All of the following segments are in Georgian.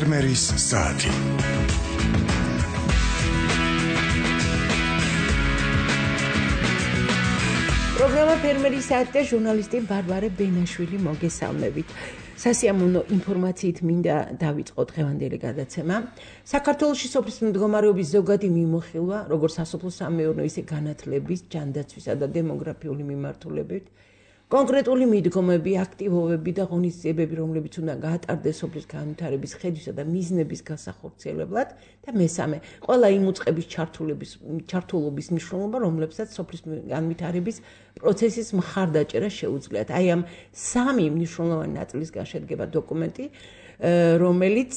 ფერმერის საათი. პროგრამა ფერმერის საათი და ჟურნალისტი ბარბარე ბენაშვილი მოგესალმებით. სასიამოვნო ინფორმაციით მინდა დავიწყოთ დღევანდელი გადაცემა. საქართველოში სოფლის მდგომარეობის ზოგადი მიმოხილვა, როგორც სასოფლო-სამეურნეო, ისე განათლების, ჯანდაცვისა და დემოგრაფიული მიმართულებით, კონკრეტული მიდგომები, აქტივობები და ღონისძიებები, რომლებიც უნდა გაატარდეს სოფლის განვითარების ხედვისა და მიზნების გასახორციელებლად და მესამე, ყველა იმ უწყების ჩართულობის მნიშვნელობა, რომლებსაც სოფლის განვითარების პროცესის მხარდაჭერა შეუძლიათ. აი ამ სამი მნიშვნელოვანი ნაწილისგან შედგება დოკუმენტი, რომელიც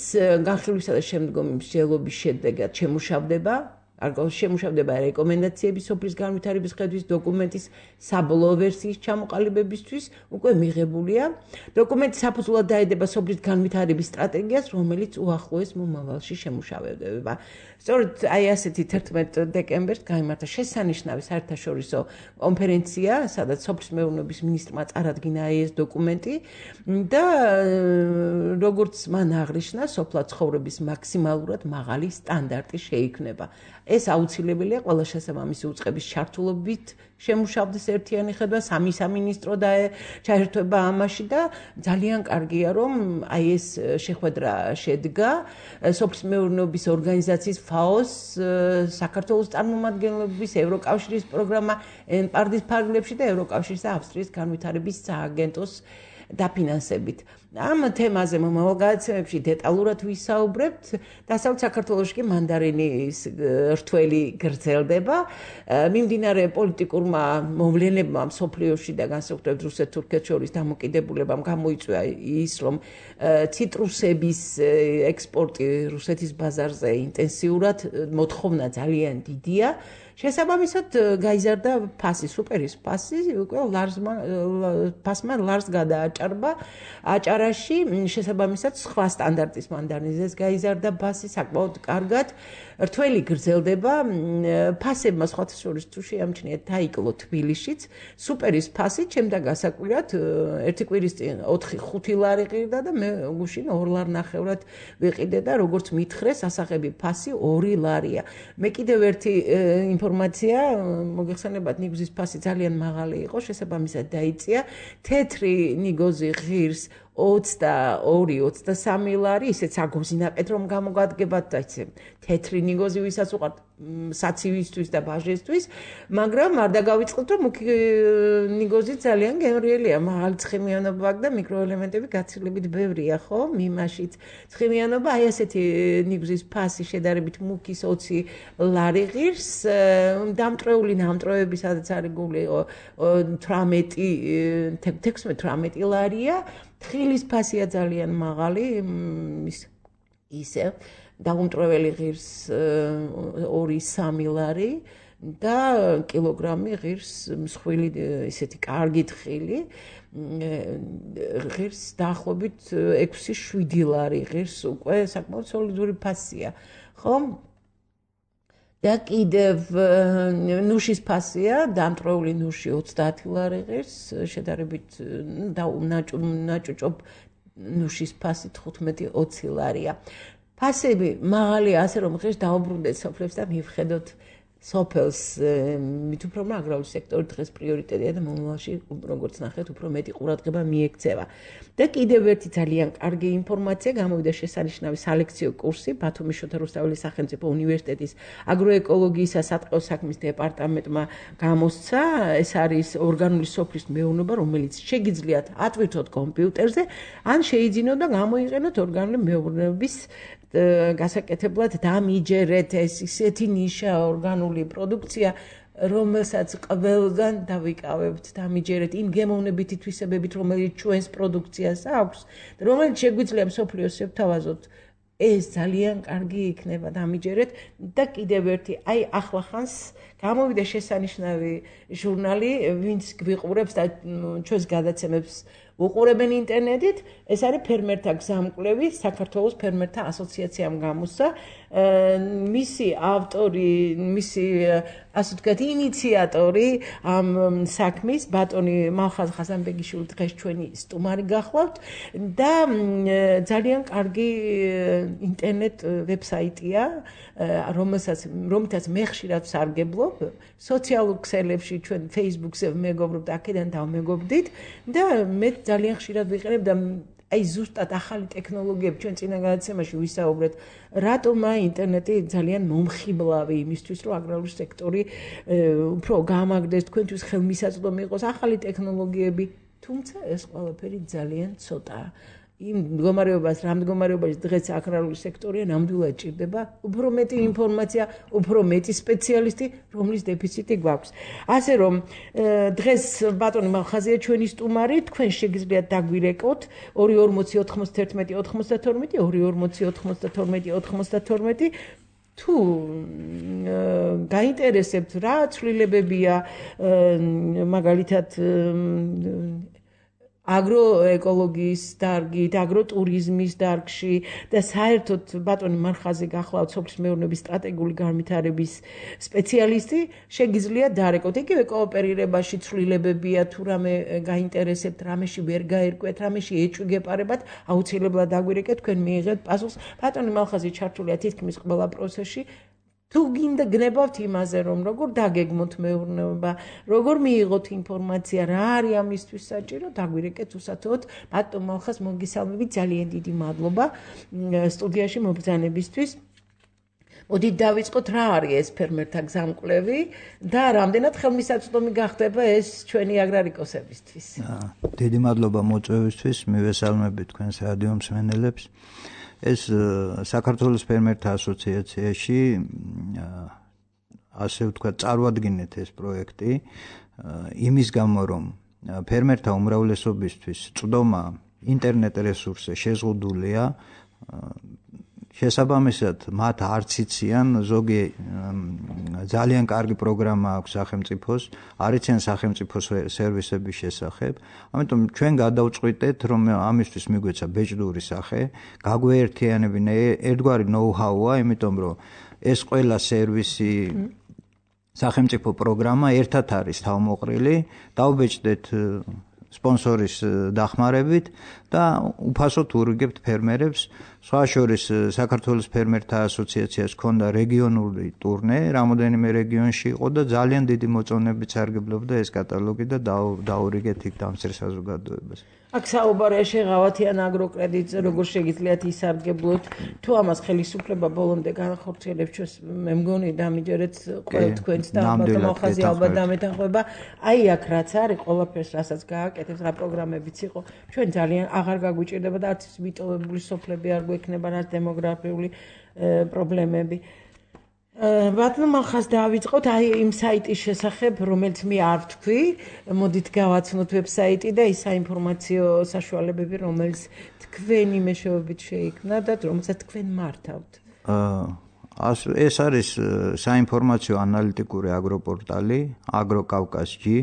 განხილვისა და შემდგომი მსჯელობის შედეგად შემუშავდება რეკომენდაციები სოფლის განვითარების ხედვის დოკუმენტის საბოლოო ვერსიის ჩამოყალიბებისთვის უკვე მიღებულია. დოკუმენტი საფუძვლად დაედება სოფლის განვითარების სტრატეგიას, რომელიც უახლოეს მომავალში შემუშავდება. სწორედ აი ასეთი 11 დეკემბერს გაიმართა შესანიშნავი საერთაშორისო კონფერენცია, სადაც სოფლის მეურნეობის მინისტრმა წარადგინა ეს დოკუმენტი და როგორც მან აღნიშნა, სოფლა ცხოვრების მაქსიმალურად მაღალი სტანდარტი შეიქმნება. ეს აუცილებელია ყველა შესაბამისი უწყების ჩართულობით შემუშავდეს ერთიანი ხედვა, სამი სამინისტრო ჩაერთვება ამაში და ძალიან კარგია, რომ აი ეს შეხვედრა შედგა სოფლის მეურნეობის ორგანიზაციის FAO-ს, საქართველოს წარმომადგენლობის, ევროკავშირის პროგრამა ENPARD-ის ფარგლებში და ევროკავშირის და ავსტრიის განვითარების სააგენტოს დაფინანსებით. ამ თემაზე მომავალ გადაცემებში დეტალურად ვისაუბრებთ. დასავლეთ საქართველოში კი მანდარინის რთველი გრძელდება. მიმდინარე პოლიტიკურმა მოვლენებმა მსოფლიოში და განსაკუთრებით რუსეთ-თურქეთს შორის დამოკიდებულებამ გამოიწვია ის, რომ ციტრუსების ექსპორტი რუსეთის ბაზარზე ინტენსიურად მოთხოვნა ძალიან დიდია. შესაბამისად გაიზარდა ფასი, სუპერის ფასი, უკვე ფასმა ლარს გადააჭარბა. აჭარაში შესაბამისად სხვა სტანდარტის მანდარინზეც გაიზარდა ფასი საკმაოდ კარგად. რთველი გრძელდება. ფასებმა სხვათა შორის თუ შეამჩნიათ დაიკლო თბილისშიც. სუპერის ფასი ჩემთან გასაკვირად ერთი კვირის წინ 4-5 ლარი ღირდა და მე გუშინ 2 ლარნახევრად ვიყიდე და როგორც მითხრეს, ასაღები ფასი 2 ლარია. მე კიდევ ერთი ინფორმაცია, მოგეხსენებათ, ნიგოზის ფასი ძალიან მაღალი იყო, შესაბამისად დაიწია. თეთრი ნიგოზი ღირს 22-23 ლარი, ისეც აგოზინაკეთ რომ გამოგადგებათ და ისე თეთრი ნიგოზი ვისაც უყართ საცივისთვის და ბაჟესთვის, მაგრამ არ დაგავიწყოთ, რომ მუქი ნიგოზი ძალიან გემრიელია, მაღალი ცხიმიანობა აქვს და მიკროელემენტები გაცილებით ბევრია, ხო? მიმაშიც ცხიმიანობა, აი ასეთი ნიგზის ფასი შედარებით მუქის 20 ლარი ღირს, დამტრეული ნამტროები, სადაც არის გული 16-18 ლარია. თხილის ფასია ძალიან მაღალი, ისე დაუმტრეველი ღირს 2-3 ლარი და კილოგრამი ღირს მსხვილი ისეთი კარგი თხილი ღირს დაახლოებით 6-7 ლარი ღირს უკვე საკმაოდ სოლიდური ფასია, ხო? და კიდევ ნუშის ფასია, დამტრეული ნუში 30 ლარი ღირს, შედარებით ნაჭუჭობ ნუშის ფასი 15-20 ლარია. ფასები მაღალია, ასე რომ ღირს დაუბრუნდეთ სოფლებს და მივხედოთ სოფელს, მით უფრო რომ აგრარული სექტორი დღეს პრიორიტეტია და მომავალში, როგორც ნახეთ, უფრო მეტი ყურადღება მიექცევა. და კიდევ ერთი ძალიან კარგი ინფორმაცია, გამოვიდა შესანიშნავი სალექციო კურსი ბათუმის შოთა რუსთაველის სახელმწიფო უნივერსიტეტის აგროეკოლოგიისა სატყეო საქმის დეპარტამენტმა გამოსცა. ეს არის ორგანული სოფლის მეურნეობა, რომელიც შეგიძლიათ ატვირთოთ კომპიუტერზე, ან შეიძინოთ და გამოიყენოთ ორგანული მეურნეობის გასაკეთებლად დამიჯერეთ. ეს ისეთი ნიშა ორგანული პროდუქცია, რომელსაც ყველგან დავიკავებთ, დამიჯერეთ იმ გემოვნებითი თვისებებით, რომელიც ჩვენს პროდუქციას აქვს, რომელიც შეგვიძლია მსოფლიოს შევთავაზოთ. ეს ძალიან კარგი იქნება, დამიჯერეთ. და კიდევ ერთი, აი ახლა ხანს გამოვიდა შესანიშნავი ჟურნალი, ვინც გვიყურებს და ჩვენს გადაცემებს უყურებენ ინტერნეტით, ეს არის ფერმერთა გზამკვლევი, საქართველოს ფერმერთა ასოციაციამ გამოსცა. მისი ავტორი, მისი ასე ვთქვათ, ინიციატორი ამ საქმის ბატონი მალხაზ ხაზანბეგიშვილი დღეს ჩვენი სტუმარი გახლავთ და ძალიან კარგი ინტერნეტ ვებსაიტია, რომელთაც მე ხშირად ვსარგებლობ, სოციალურ ქსელებში, ჩვენ Facebook-ზე ვმეგობრობთ, აქედან დავმეგობრდით და მე ძალიან ხშირად ვიყენებ და აი ზუსტად ახალი ტექნოლოგიები ჩვენ წინა გადაცემაში ვისაუბრეთ, რატომ ინტერნეტი ძალიან მომხიბლავი იმისთვის, რომ აგრარული სექტორი უფრო გამაგდეს, თქვენთვის ხელმისაწვდომი იყოს ახალი ტექნოლოგიები, თუმცა ეს ყველაფერი ძალიან ცოტაა. იმ მდგომარეობას, რა მდგომარეობაში დღეს აგრარული სექტორია, ნამდვილად ჭირდება უფრო მეტი ინფორმაცია, უფრო მეტი სპეციალისტი, რომლის დეფიციტი გვაქვს. ასე რომ დღეს ბატონი მალხაზია ჩვენი სტუმარი, თქვენ შეგიძლიათ დაგვირეკოთ 240 91 92 240 92 თუ გაინტერესებთ რა ცვლილებებია მაგალითად აგროეკოლოგიის დარგით, აგროტურიზმის დარგში და საერთოდ ბატონი მალხაზი გახლავთ სოფლის მეურნეობის სტრატეგიული განვითარების სპეციალისტი, შეგიძლიათ დარეკოთ. იგივე კოოპერირებაში ცვლილებებია, თუ რამე გაინტერესებთ, რამეში ვერ გაერკვეთ, რამეში ეჭვი გეპარებათ, აუცილებლად დაგვირეკეთ, თქვენ მიიღებთ პასუხს. ბატონი მალხაზი ჩართულია თითქმის ყველა პროცესში. თუ გინდა გნებავთ იმაზე, რომ როგორ დაგეგმოთ მეურნეობა, როგორ მიიღოთ ინფორმაცია, რა არის ამისთვის საჭირო, დაგვირეკეთ უსათოდ. ბატონ მალხაზ მოგესალმებით, ძალიან დიდი მადლობა სტუდიაში მობრძანებისთვის. მოდით დავიწყოთ, რა არის ეს ფერმერთა გზამკვლევი და რამდენად ხელმისაწვდომი გახდება ეს ჩვენი აგრარიკოსებისთვის. დიდი მადლობა მოწვევისთვის, მივესალმებით თქვენს რადიო მსმენელებს. ეს საქართველოს ფერმერთა ასოციაციაში ასე ვთქვათ, წარვადგინეთ ეს პროექტი იმის გამო, რომ ფერმერთა უმრავლესობისთვის წვდომა ინტერნეტ რესურსზე შეზღუდულია, შესაბამისად მათ არც იციან, ზოგი ძალიან კარგი პროგრამა აქვს სახელმწიფოს, არ იციან სახელმწიფო სერვისების შესახებ. ამიტომ ჩვენ გადავწყვიტეთ, რომ ამისთვის მიგვეცა ბეჭდური სახე, გაგვეერთიანებინა ერთგვარი ნოუ-ჰაუა, იმიტომ რომ ეს ყველა სერვისი სახელმწიფო პროგრამა ერთად არის თავმოყრილი, დავბეჭდეთ სპონსორის დახმარებით და უფასოდ ურიგებთ ფერმერებს. სხვა შორის საქართველოს ფერმერთა ასოციაციას ჰქონდა რეგიონული ტურნე, რამოდენიმე რეგიონში იყო და ძალიან დიდი მოწონებით სარგებლობდა ეს კატალოგი და დაურიგეთ იქ დამცირ საზოგადოებას. აქ საუბარია შეღავათიან აგროკრედიტზე, როგორ შეგიძლიათ ისარგებლოთ, თუ ამას ხელისუფლება ბოლომდე განახორციელებს, ჩვენს მე მგონი დამიჯერეთ ყოველ თქვენს და ბატონ მალხაზი ალბათ დამეთანხმება. აი აქ რაც არის, ყველაფერს რასაც გააკეთებს, რა პროგრამებიც იყო, ჩვენ ძალიან აღარ გაგვიჭირდება და არც მიტოვებული სოფლები არ გვექნება, რაც დემოგრაფიული პრობლემები. ბატონ მალხაზ დავიწყოთ აი იმ საიტის შესახებ, რომელიც მე არ ვთქვი, მოდით გავაცნოთ ვებსაიტი და ის საინფორმაციო საშუალებები, რომელიც თქვენი მეშვეობით შეიქმნა და რომელსაც თქვენ მართავთ. ეს არის საინფორმაციო ანალიტიკური აგროპორტალი აგროკავკასჯი.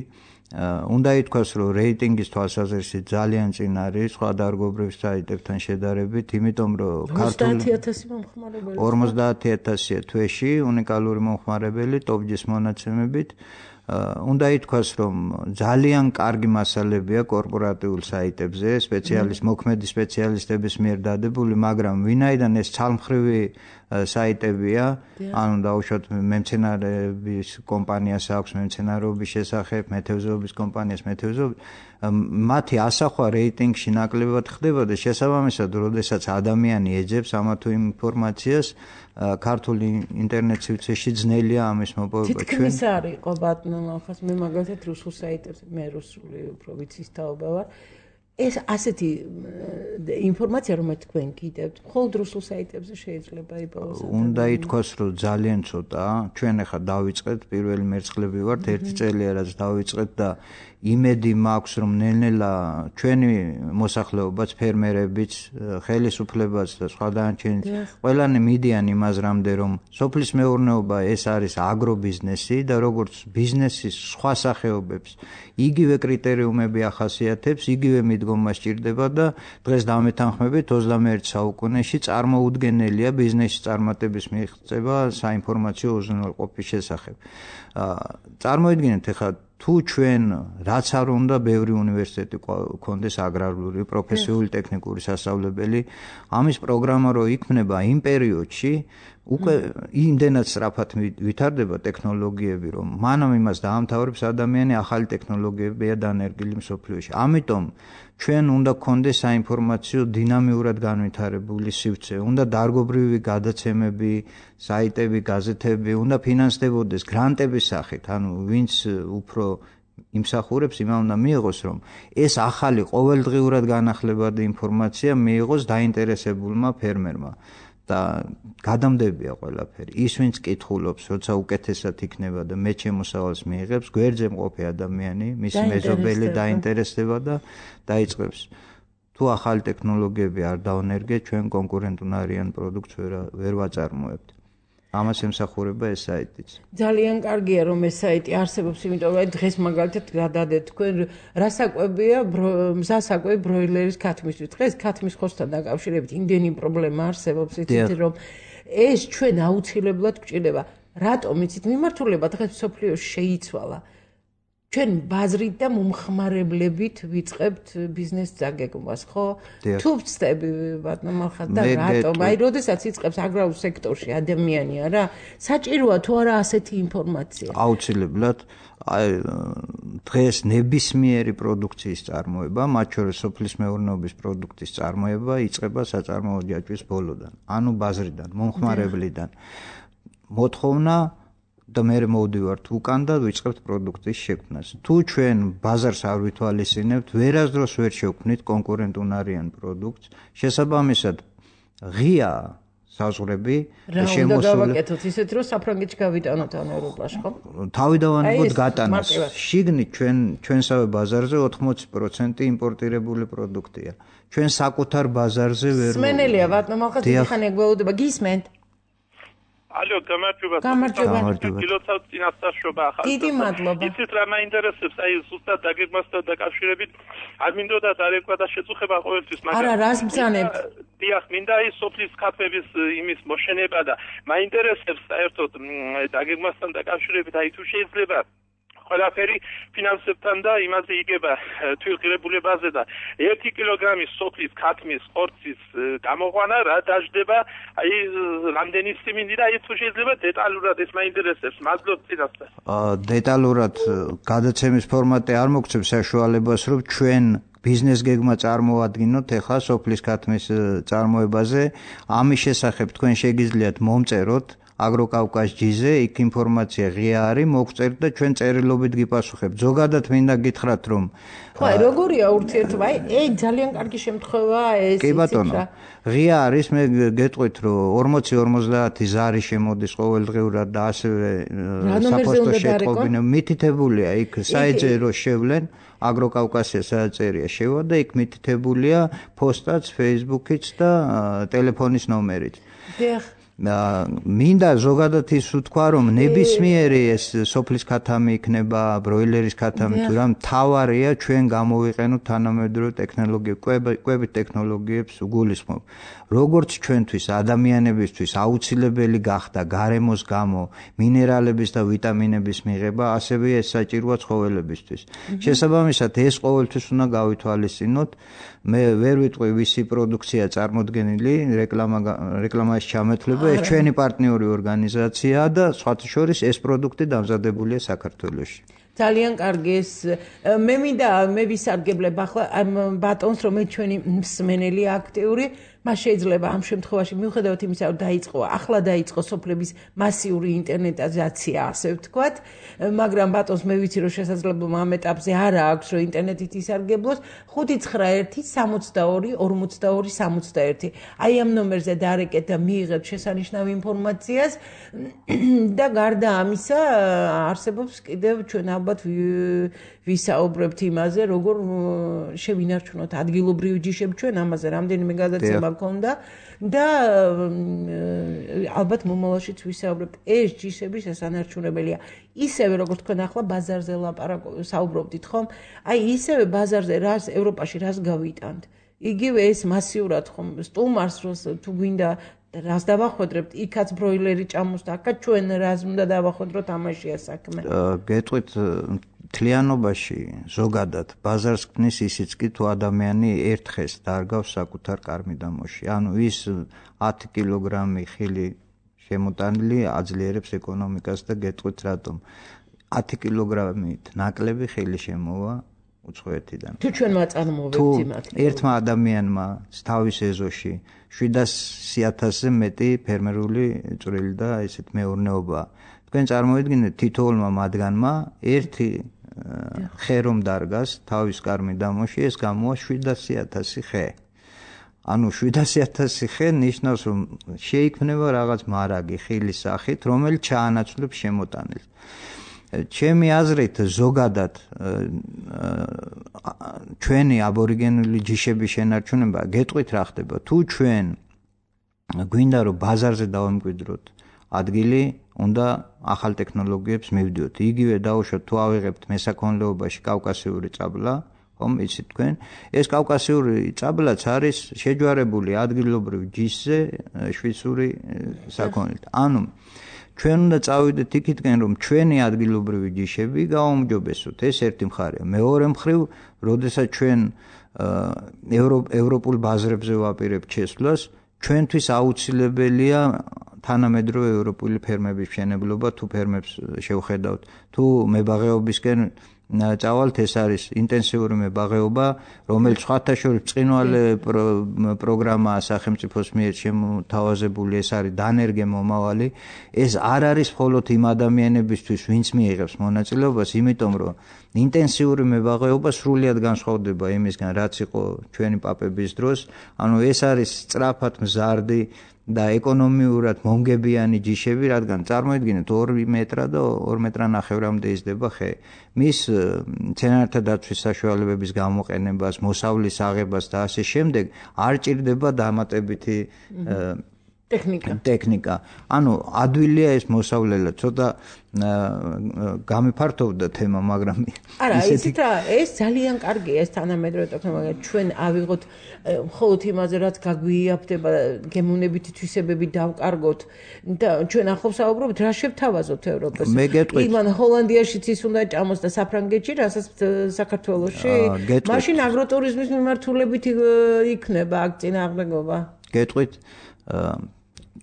უნდა ითქვას, რომ რეიტინგის თვალსაზრისით ძალიან წინ არის სხვა დარგობრივ საიტებთან შედარებით, იმიტომ რომ 50,000 მომხმარებელი 50,000-ია თვეში უნიკალური მომხმარებელი ტოპჯის მონაცემებით. უნდა ითქვას, რომ ძალიან კარგი მასალებია კორპორატიულ საიტებზე, მოქმედი სპეციალისტების მიერ დადებული, მაგრამ ვინაიდან ეს ცალმხრივი საიტებია, ანუ დაუშვათ მემცენარეების კომპანიას აქვს მემცენარეობის შესახებ, მეთევზეობის კომპანიას მეთევზეობის, მათი ასახვა რეიტინგში ნაკლებად ხდება და შესაბამისად, როდესაც ადამიანი ეძებს ამა თუ იმ ინფორმაციას, ქართულ ინტერნეტ სივრცეში ძნელია ამის მოპოვება. თითქმის არ იყო ბატონო მალხაზ, მე მაგალითად რუსულ საიტებზე, მე რუსული უფრო ვიცის თაობა ვარ. ეს ასეთი ინფორმაცია, რომელიც თქვენ გიდევთ, მხოლოდ რუსულ საიტებზე შეიძლება იპოვოს. უნდა ითქვას, რომ ძალიან ცოტაა. ჩვენ ახლა დავიწყეთ, პირველი მერცხლები ვართ, ერთი წელია რაც დავიწყეთ და იმედი მაქვს, რომ ნელ-ნელა ჩვენი მოსახლეობაც, ფერმერებიც, ხელისუფლებაც და სხვა დანარჩენიც ყველანი მიდიან იმაზრამდე, რომ სოფლის მეურნეობა ეს არის აგრობიზნესი და როგორც ბიზნესის სხვა სახეობებს იგივე კრიტერიუმები ახასიათებს, იგივე მიდგომა სჭირდება და დღეს დამეთანხმებით 21 საუკუნეში წარმოუდგენელია ბიზნესის წარმატების მიღწევა საინფორმაციო უზრუნველყოფის შესახებ. წარმოიდგინეთ ახლა თუ ჩვენ რაც არ უნდა ბევრი უნივერსიტეტი გქონდეს აგრარული, პროფესიული, ტექნიკური სასწავლებელი, ამის პროგრამა რო იქმნება იმ პერიოდში, უკვე იმდენად სწრაფად ვითარდება ტექნოლოგიები, რომ მანამ იმას დაამთავრებს ადამიანი ახალი ტექნოლოგიებია დანერგილი მსოფლიოში. ამიტომ ჩვენ უნდა გქონდეს საინფორმაციო დინამიურად განვითარებული სივრცე, უნდა დარგობრივი გადაცემები, საიტები, გაზეთები, უნდა ფინანსდებოდეს გრანტების სახით, ანუ ვინც უფრო იმსახურებს, იმან უნდა მიიღოს, რომ ეს ახალი ყოველდღიურად განახლებადი ინფორმაცია მიიღოს დაინტერესებულმა ფერმერმა. და გადამდებია ყველაფერი. ის ვინც კითხულობს, როცა უკეთესად იქნება და მე შემოსავალს მიიღებს, გვერდზე მყოფი ადამიანი, მისი მეზობელი დაინტერესდება და დაიწყებს. თუ ახალი ტექნოლოგიები არ დავნერგეთ, ჩვენ კონკურენტუნარიან პროდუქტს ვერ ვაწარმოებთ. ამას ემსახურება ეს საიტიც. ძალიან კარგია რომ ეს საიტი არსებობს, იმიტომ რომ დღეს მაგალითად გადადეთ თქვენ რა საკვებია მზასაკვები ბროილერის ქათმისთვის. დღეს ქათმის ხორცთან დაკავშირებით იმდენი პრობლემა არსებობს, იცით რომ ეს ჩვენ აუცილებლად გვჭირდება. რატომ იცით მიმართულება დღეს მსოფლიოში შეიცვალა. ჩვენ ბაზრით და მომხმარებლებით ვიწყებთ ბიზნესს დაგეგმვას, ხო? თუ ვწდები ბატონო ხარ და რატომ? აი, როდესაც იწყებს აგრარულ სექტორში ადამიანი არა, საჭიროა თუ არა ასეთი ინფორმაცია? აუცილებლად. აი, დღეს ნებისმიერი პროდუქციის წარმოება, მათ შორის სოფლის მეურნეობის პროდუქტის წარმოება იწყება საწარმოო ჯაჭვის ბოლოდან, ანუ ბაზრიდან, მომხმარებლიდან. მოთხოვნა და მე მოვდივართ უკან და ვიწყებთ პროდუქტის შექმნას. თუ ჩვენ ბაზარს არ ვითვალისწინებთ, ვერასდროს ვერ შევქმნით კონკურენტუნარიან პროდუქტს, შესაბამისად ღია საზღვრები და შემოსული გავაკეთოთ ისეთ რომ საფრანგეთში გავიტანოთ ან ევროპაში, ხო? თავიდანვანებოდ გატანას. შიგნით ჩვენსავე ბაზარზე 80% იმპორტირებული პროდუქტია. ჩვენ საკუთარ ბაზარზე ვერ სმენელია ბატონო ხალხი ხანი გველოდება გისმენთ? ალო, გამარჯობა. კილოცავ წინასწარშობა ახალ. დიდი მადლობა. იცით რა მაინტერესებს, აი ზუსტად დაგეგმასთან დაკავშირებით არ მინდოდა დარეკვა და შეწუხება ყოველთვის, მაგრამ არა, რას ბრძანებთ? დიახ, მინდა ის სოფლის ქათმების იმის მოშენება და მაინტერესებს საერთოდ დაგეგმასთან დაკავშირებით, აი თუ შეიძლება ყველაფერი ფინანსებთან და იმაზე იგება თვითღირებულებაზე და 1 კილოგრამის სოფლის ქათმის ხორცის გამოყვანა რა დაждდება, აი რამდენი სიმინდი და აი თუ შეიძლება დეტალურად ეს მაინტერესებს, მადლობთ წინასწარ. დეტალურად გადაცემის ფორმატი არ მოგცემს საშუალებას, რომ ჩვენ ბიზნეს გეგმა წარმოადგინოთ ახლა სოფლის ქათმის წარმოებაზე. ამის შესახებ თქვენ შეგიძლიათ მომწეროთ აგროკავკასჯიზე, იქ ინფორმაცია ღია არის, მოგწერთ და ჩვენ წერილობით გიპასუხებთ. ზოგადად მინდა გითხრათ, რომ ხო, როგორია ურთიერთობა? აი, ძალიან კარგი შემთხვევაა ეს. კი ბატონო, ღია არის, მე გეტყვით, რომ 40-50 ზარი შემოდის ყოველდღიურად და ასევე საფოსტო შეტყობინა მითითებულია იქ საიტზე რო შევლენ, აგროკავკასია საწერია შევა და იქ მითითებულია პოსტაც, Facebook-იც და ტელეფონის ნომერიც. დიახ. მინდა ზოგადად ის ვთქვა, რომ ნებისმიერი ეს სოფლის ქათამი იქნება, ბროილერის ქათამი, თუ რა მთავარია ჩვენ გამოვიყენოთ თანამედროვე ტექნოლოგიები, კვებით ტექნოლოგიებს უგულისხმობ. როგორც ჩვენთვის ადამიანებისთვის აუცილებელი გახდა გარემოს გამო მინერალების და ვიტამინების მიღება, ასევე ეს საჭიროა ცხოველებისთვის. შესაბამისად ეს ყოველთვის უნდა გავითვალისწინოთ. მე ვერ ვიტყვი ვისი პროდუქცია წარმოდგენილი, რეკლამაში ჩამეთვლება, ეს ჩვენი პარტნიორი ორგანიზაციაა და სხვათა შორის ეს პროდუქტი დამზადებულია საქართველოში. ძალიან კარგი ეს მე ვისარგებლებ ახლა ბატონს რომ ჩვენი მსმენელი აქტიური მას შეიძლება ამ შემთხვევაში მიუხედავად იმისა რომ ახლა დაიწყო სოფლების მასიური ინტერნეტიზაცია ასე ვთქვათ, მაგრამ ბატონს მე ვიცი რომ შესაძლებლობა ამ ეტაპზე არ აქვს რომ ინტერნეტით ისარგებლოს 591-42-42-61 აი ამ ნომერზე დარეკეთ და მიიღეთ შესანიშნავ ინფორმაციას და გარდა ამისა არსებობს კიდევ ჩვენ ალბათ ვისაუბრებთ იმაზე, როგორ შევინარჩუნოთ ადგილობრივი ჯიშები ჩვენ ამაზე რამდენიმე გადაცემა ჰქონდა და ალბათ მომავალშიც ვისაუბრებთ ეს ჯიშები შესანარჩუნებელია ისევე როგორც თქვენ ახლა ბაზარზე საუბრობდით ხომ აი ისევე ბაზარზე რას ევროპაში რას გავიტანთ იგივე ეს მასიურად ხომ სტუმარს თუ გვინდა რას დავახვედრებთ იქაც ბროილერი ჭამოს და აქაც ჩვენ რას უნდა დავახვედროთ ამაშია საქმე გეტყვით თლიანობაში ზოგადად ბაზარს ქმნის ისიც კი თუ ადამიანი ერთხეს დარგავს საკუთარ კარმიდამოში ანუ ის 10 კილოგრამი ხილი შემოტანილი აძლიერებს ეკონომიკას და გეტყვით რატომ 10 კილოგრამით ნაკლები ხილი შემოვა უცხოეთიდან თუ ჩვენ მაწარმოებთ იმათ ერთმა ადამიანმა თავის ეზოში 700,000-ზე მეტი ფერმერული წვრილი და ესეთ მეურნეობა თქვენ წარმოიდგინეთ თითოეულმა მათგანმა ერთი ხე რომ დარგას თავის კარმიდამოში ეს გამოვა 700,000 ხე ანუ 700,000 ხე ნიშნავს რომ შეიქმნება რაღაც მარაგი ხილის სახით რომელიც ჩაანაცვლებს შემოტანილს ჩემი აზრით ზოგადად ჩვენი აბორიგენული ჯიშების შენარჩუნება გეტყვით რა ხდება თუ ჩვენ გვინდა რომ ბაზარზე დავამკვიდროთ ადგილი უნდა ახალ ტექნოლოგიებს მივდიოთ იგივე დაუშვათ თუ ავიღებთ მესაქონლეობაში კავკასიური წაბლა ხომ იცით თქვენ ეს კავკასიური წაბლაც არის შეჯვარებული ადგილობრივ ჯიშზე შვიცური საქონლით ანუ ჩვენ უნდა წავიდეთ იქითკენ რომ ჩვენი ადგილობრივი ჯიშები გააუმჯობესოთ ეს ერთი მხარეა მეორე მხრივ როდესაც ჩვენ ევროპულ ბაზრებზე ვაპირებთ შესვლას ჩვენთვის აუცილებელია თანამედროვე ევროპული ფერმების მშენებლობა თუ ფერმებს შევხედავთ თუ მებაღეობისკენ წავალთ ეს არის ინტენსიური მებაღეობა რომელიც სხვათა შორის ბრწყინვალე პროგრამაა სახელმწიფოს მიერ შემოთავაზებული ეს არის დანერგე მომავალი ეს არ არის მხოლოდ იმ ადამიანებისთვის ვინც მიიღებს მონაწილეობას იმიტომ რომ ინტენსიური მებაღეობა სრულიად განსხვავდება იმისგან რაც იყო ჩვენი პაპების დროს ანუ ეს არის სწრაფად მზარდი და ეკონომიურად მომგებიანი ჯიშები, რადგან წარმოიდგინეთ 2 მეტრა და 2 მეტრანახევრამდე იზრდება ხე. მის მცენარეთა დაცვის საშუალებების გამოყენებას, მოსავლის აღებას და ასე შემდეგ არ ჭირდება დამატებითი ტექნიკა. ანუ ადვილია ეს მოსავლელად, ცოტა გამიფართოვდა თემა, მაგრამ არა, ისეთ რა, ეს ძალიან კარგია ეს თანამედროვე ტექნოლოგია. ჩვენ ავიღოთ მხოლოდ იმაზე, რაც გაგვიაფდება, გემოვნებითი თვისებები დავკარგოთ და ჩვენ ახლავს საუბრობთ, რა შევთავაზოთ ევროპას. იმან ჰოლანდიაშიც ის უნდა ჭამოს და საფრანგეთში, რასაც საქართველოში. მაშინ აგროტურიზმის მიმართულებით იქნება აქ წინააღმდეგობა. გეტყვით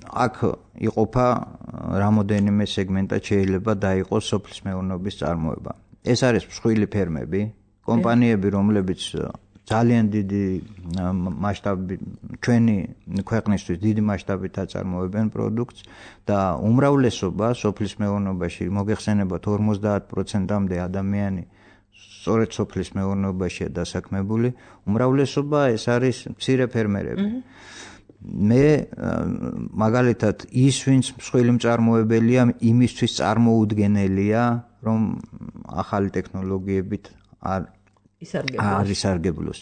აქ იყოფა რამოდენიმე სეგმენტად შეიძლება დაიყოს სოფლის მეურნეობის წარმოება. ეს არის მსხვილი ფერმები, კომპანიები, რომლებიც ძალიან დიდი მასშტაბი ჩვენი ქვეყნისთვის დიდი მასშტაბით აწარმოებენ პროდუქტს და უმრავლესობა სოფლის მეურნეობაში მოგეხსენებათ 50%-მდე ადამიანი სწორედ სოფლის მეურნეობაშია დასაქმებული, უმრავლესობა ეს არის მცირე ფერმერები. მე მაგალითად ის ვინც მსხვილი მწარმოებელია იმისთვის წარმოუდგენელია რომ ახალი ტექნოლოგიებით არ ისარგებლოს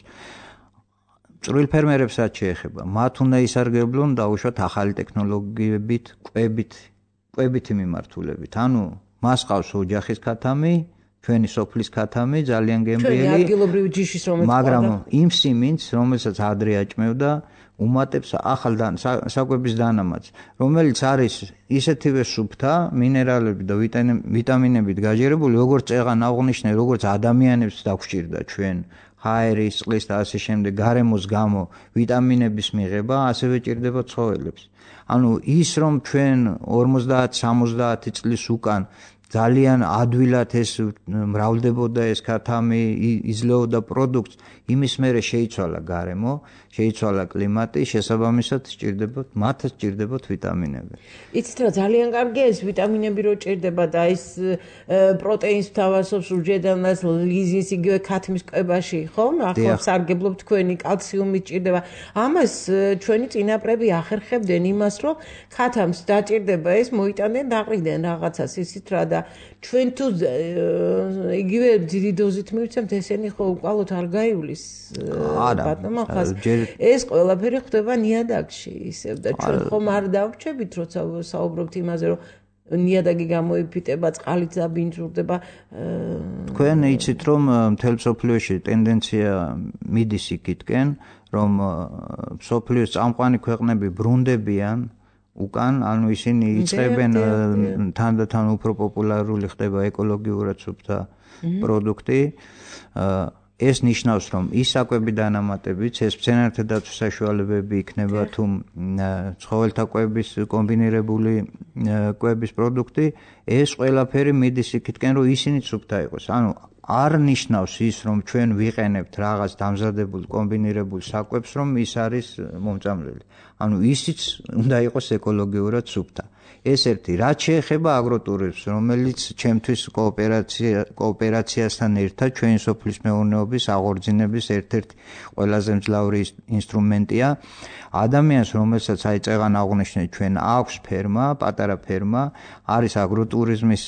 წვრილ ფერმერებსაც შეეხება მათ უნდა ისარგებლონ დაუშვათ ახალი ტექნოლოგიებით კვებითი მიმართულებით ანუ მას ყავს ოჯახის ქათამი ჩვენი სოფლის ქათამი ძალიან გემრიელი მაგრამ იმ სიმინდს რომელსაც ადრე აჭმევდა უმატებს ახალ საკვების დანამატს, რომელიც არის ისეთივე სუფთა, მინერალებით და ვიტამინებით გაჯერებული, როგორც წეღან აღნიშნე, როგორც ადამიანებს დაგვჭირდა ჩვენ ჰაერის, წყლის და ასე შემდეგ გარემოს გამო ვიტამინების მიღება, ასევე ჭირდება ცხოველებს. ანუ ის რომ ჩვენ 50-70 წლის უკან ძალიან ადვილად ეს მრავლდებოდა ეს ქათამი, იძლეოდა პროდუქტს, იმის მერე შეიცვალა გარემო, შეიცვალა კლიმატი, შესაბამისად მათ სჭირდებათ ვიტამინები. იცით რა, ძალიან კარგია ეს ვიტამინები რო ჭირდება და ეს პროტეინს თავასობს უჯედანას ლიზინს იგივე ქათმის კვებაში, ხომ? ახლა სარგებლობ თქვენი კალციუმი ჭირდება. ამას ჩვენი წინაპრები ახერხებდნენ იმას, რომ ქათამს დაჭირდება ეს მოიტანენ დაყრიდან რაღაცას ისიც რა და და ჩვენ თუ იგივე დიდი დოზით მივცემთ ესენი ხო უკვალოდ არ გაივლის ბატონო ხას ეს ყველაფერი ხდება ნიადაგში ისევ და ჩვენ ხომ არ დავრჩებით როცა საუბრობთ იმაზე რომ ნიადაგი გამოიფიტება წყალით დაბინძურდება თქვენ იცით რომ მთელ მსოფლიოში ტენდენცია მიდის იქითკენ რომ მსოფლიოს წამყვანი ქვეყნები ბრუნდებიან უკან ანუ ისინი იწყებენ თანდათან უფრო პოპულარული ხდება ეკოლოგიურად სუფთა პროდუქტი ეს ნიშნავს რომ ის საკვები დანამატებიც ეს მცენარეთა დაცვის საშუალებები იქნება თუ ცხოველთა კვების კომბინირებული კვების პროდუქტი ეს ყველაფერი მიდის იქითკენ რომ ისინი სუფთა იყოს ანუ არ ნიშნავს ის რომ ჩვენ ვიყენებთ რაღაც დამზადებულ კომბინირებულ საკვებს რომ ის არის მომწამლელი ანუ ისიც უნდა იყოს ეკოლოგიურად სუფთა ეს ერთი რაც შეეხება აგროტურიზმს რომელიც ჩემთვის კოოპერაციასთან ერთად ჩვენი სოფლის მეურნეობის აღორძინების ერთ-ერთი ყველაზე მძლავრი ინსტრუმენტია ადამიანს რომელსაც აი წეღან აღნიშნეთ ჩვენ აქვს ფერმა პატარა ფერმა არის აგროტურიზმის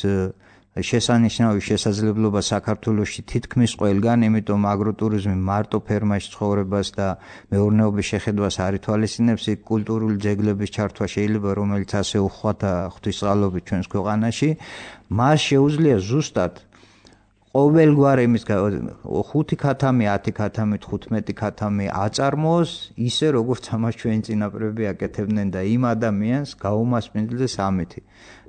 შესანიშნავი შესაძლებლობა საქართველოში თითქმის ყველგან, იმიტომ აგროტურიზმი მარტო ფერმაში ცხოვრებას და მეურნეობის შეხედვას არ ითვალისწინებს, იქ კულტურული ძეგლების ჩართვა შეიძლება, რომელიც ასე უხვათა ღვთისმსალობით ჩვენს ქვეყანაში, მას შეუძლია ზუსტად ყოველგვარი იმის 5 ქათამი, 10 ქათამი, 15 ქათამი აწარმოოს, ისე როგორც ამას ჩვენი წინაპრები აკეთებდნენ და იმ ადამიანს გაუმასპინძლდეს ამითი.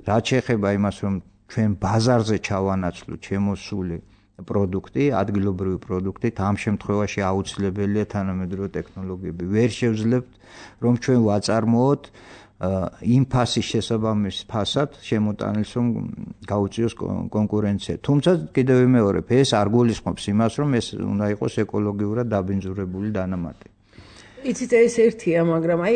რაც შეეხება იმას, რომ ჩვენ ბაზარზე ჩავანაცვლოთ შემოსული პროდუქტი, ადგილობრივი პროდუქტით, ამ შემთხვევაში აუცილებელია თანამედროვე ტექნოლოგიები. ვერ შევძლებთ, რომ ჩვენ ვაწარმოოთ იმ ფასის შესაბამის ფასად შემოტანილს, რომ გაუწიოს კონკურენცია. თუმცა კიდევ ვიმეორებ, ეს არ გულისხმობს იმას, რომ ეს უნდა იყოს ეკოლოგიურად დაბინძურებული დანამატი. იცით ეს ერთია, მაგრამ აი,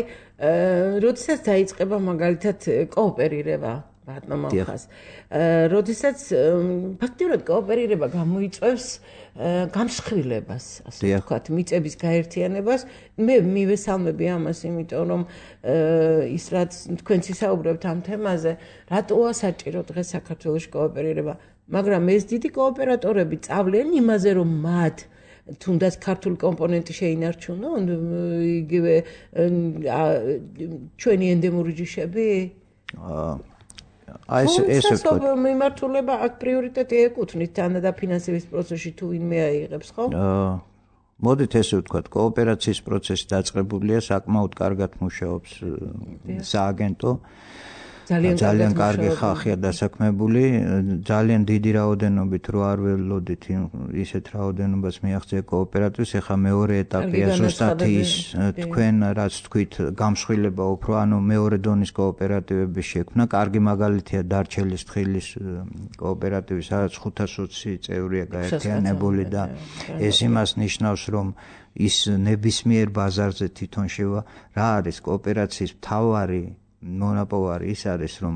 როდესაც დაიწყება მაგალითად კოოპერირება ბატონო ხას. როდესაც ფაქტიურად კოოპერირება გამოიწვევს გამსხვილებას, ასე ვთქვათ, მიწების გაერთიანებას. მე მივესალმები ამას, იმიტომ რომ ის რაც თქვენც ისაუბრებთ ამ თემაზე, რატოა საჭირო დღეს საქართველოში კოოპერირება, მაგრამ ეს დიდი კოოპერატორები წავლენ იმაზე, რომ მათ თუნდაც ქართული კომპონენტი შეინარჩუნონ, იგივე ჩვენი ენდემური ჯიშები? ეს მიმართულება აქ პრიორიტეტი ეკუთვნით თანადაფინანსების პროცესში თუ ვინმე აიღებს, ხო? მოდით ესე ვთქვათ, კოოპერაციის პროცესი დაწყებულია, საკმაოდ კარგად მუშაობს სააგენტო. ძალიან კარგი ხალხია დასაქმებული, ძალიან დიდი რაოდენობით რო არ ველოდით ისეთ რაოდენობას მიაღწია კოოპერატივს, ეხლა მეორე ეტაპია ზუსტად ის თქვენ რაც თქვით გამსხვილება უფრო, ანუ მეორე დონის კოოპერატივების შექმნა, კარგი მაგალითია დარჩელის თხილის კოოპერატივი, სადაც 520 წევრია გაერთიანებული და ეს იმას ნიშნავს, რომ ის ნებისმიერ ბაზარზე თვითონ შევა, რა არის კოოპერაციის მთავარი მონოპოლარი ის არის, რომ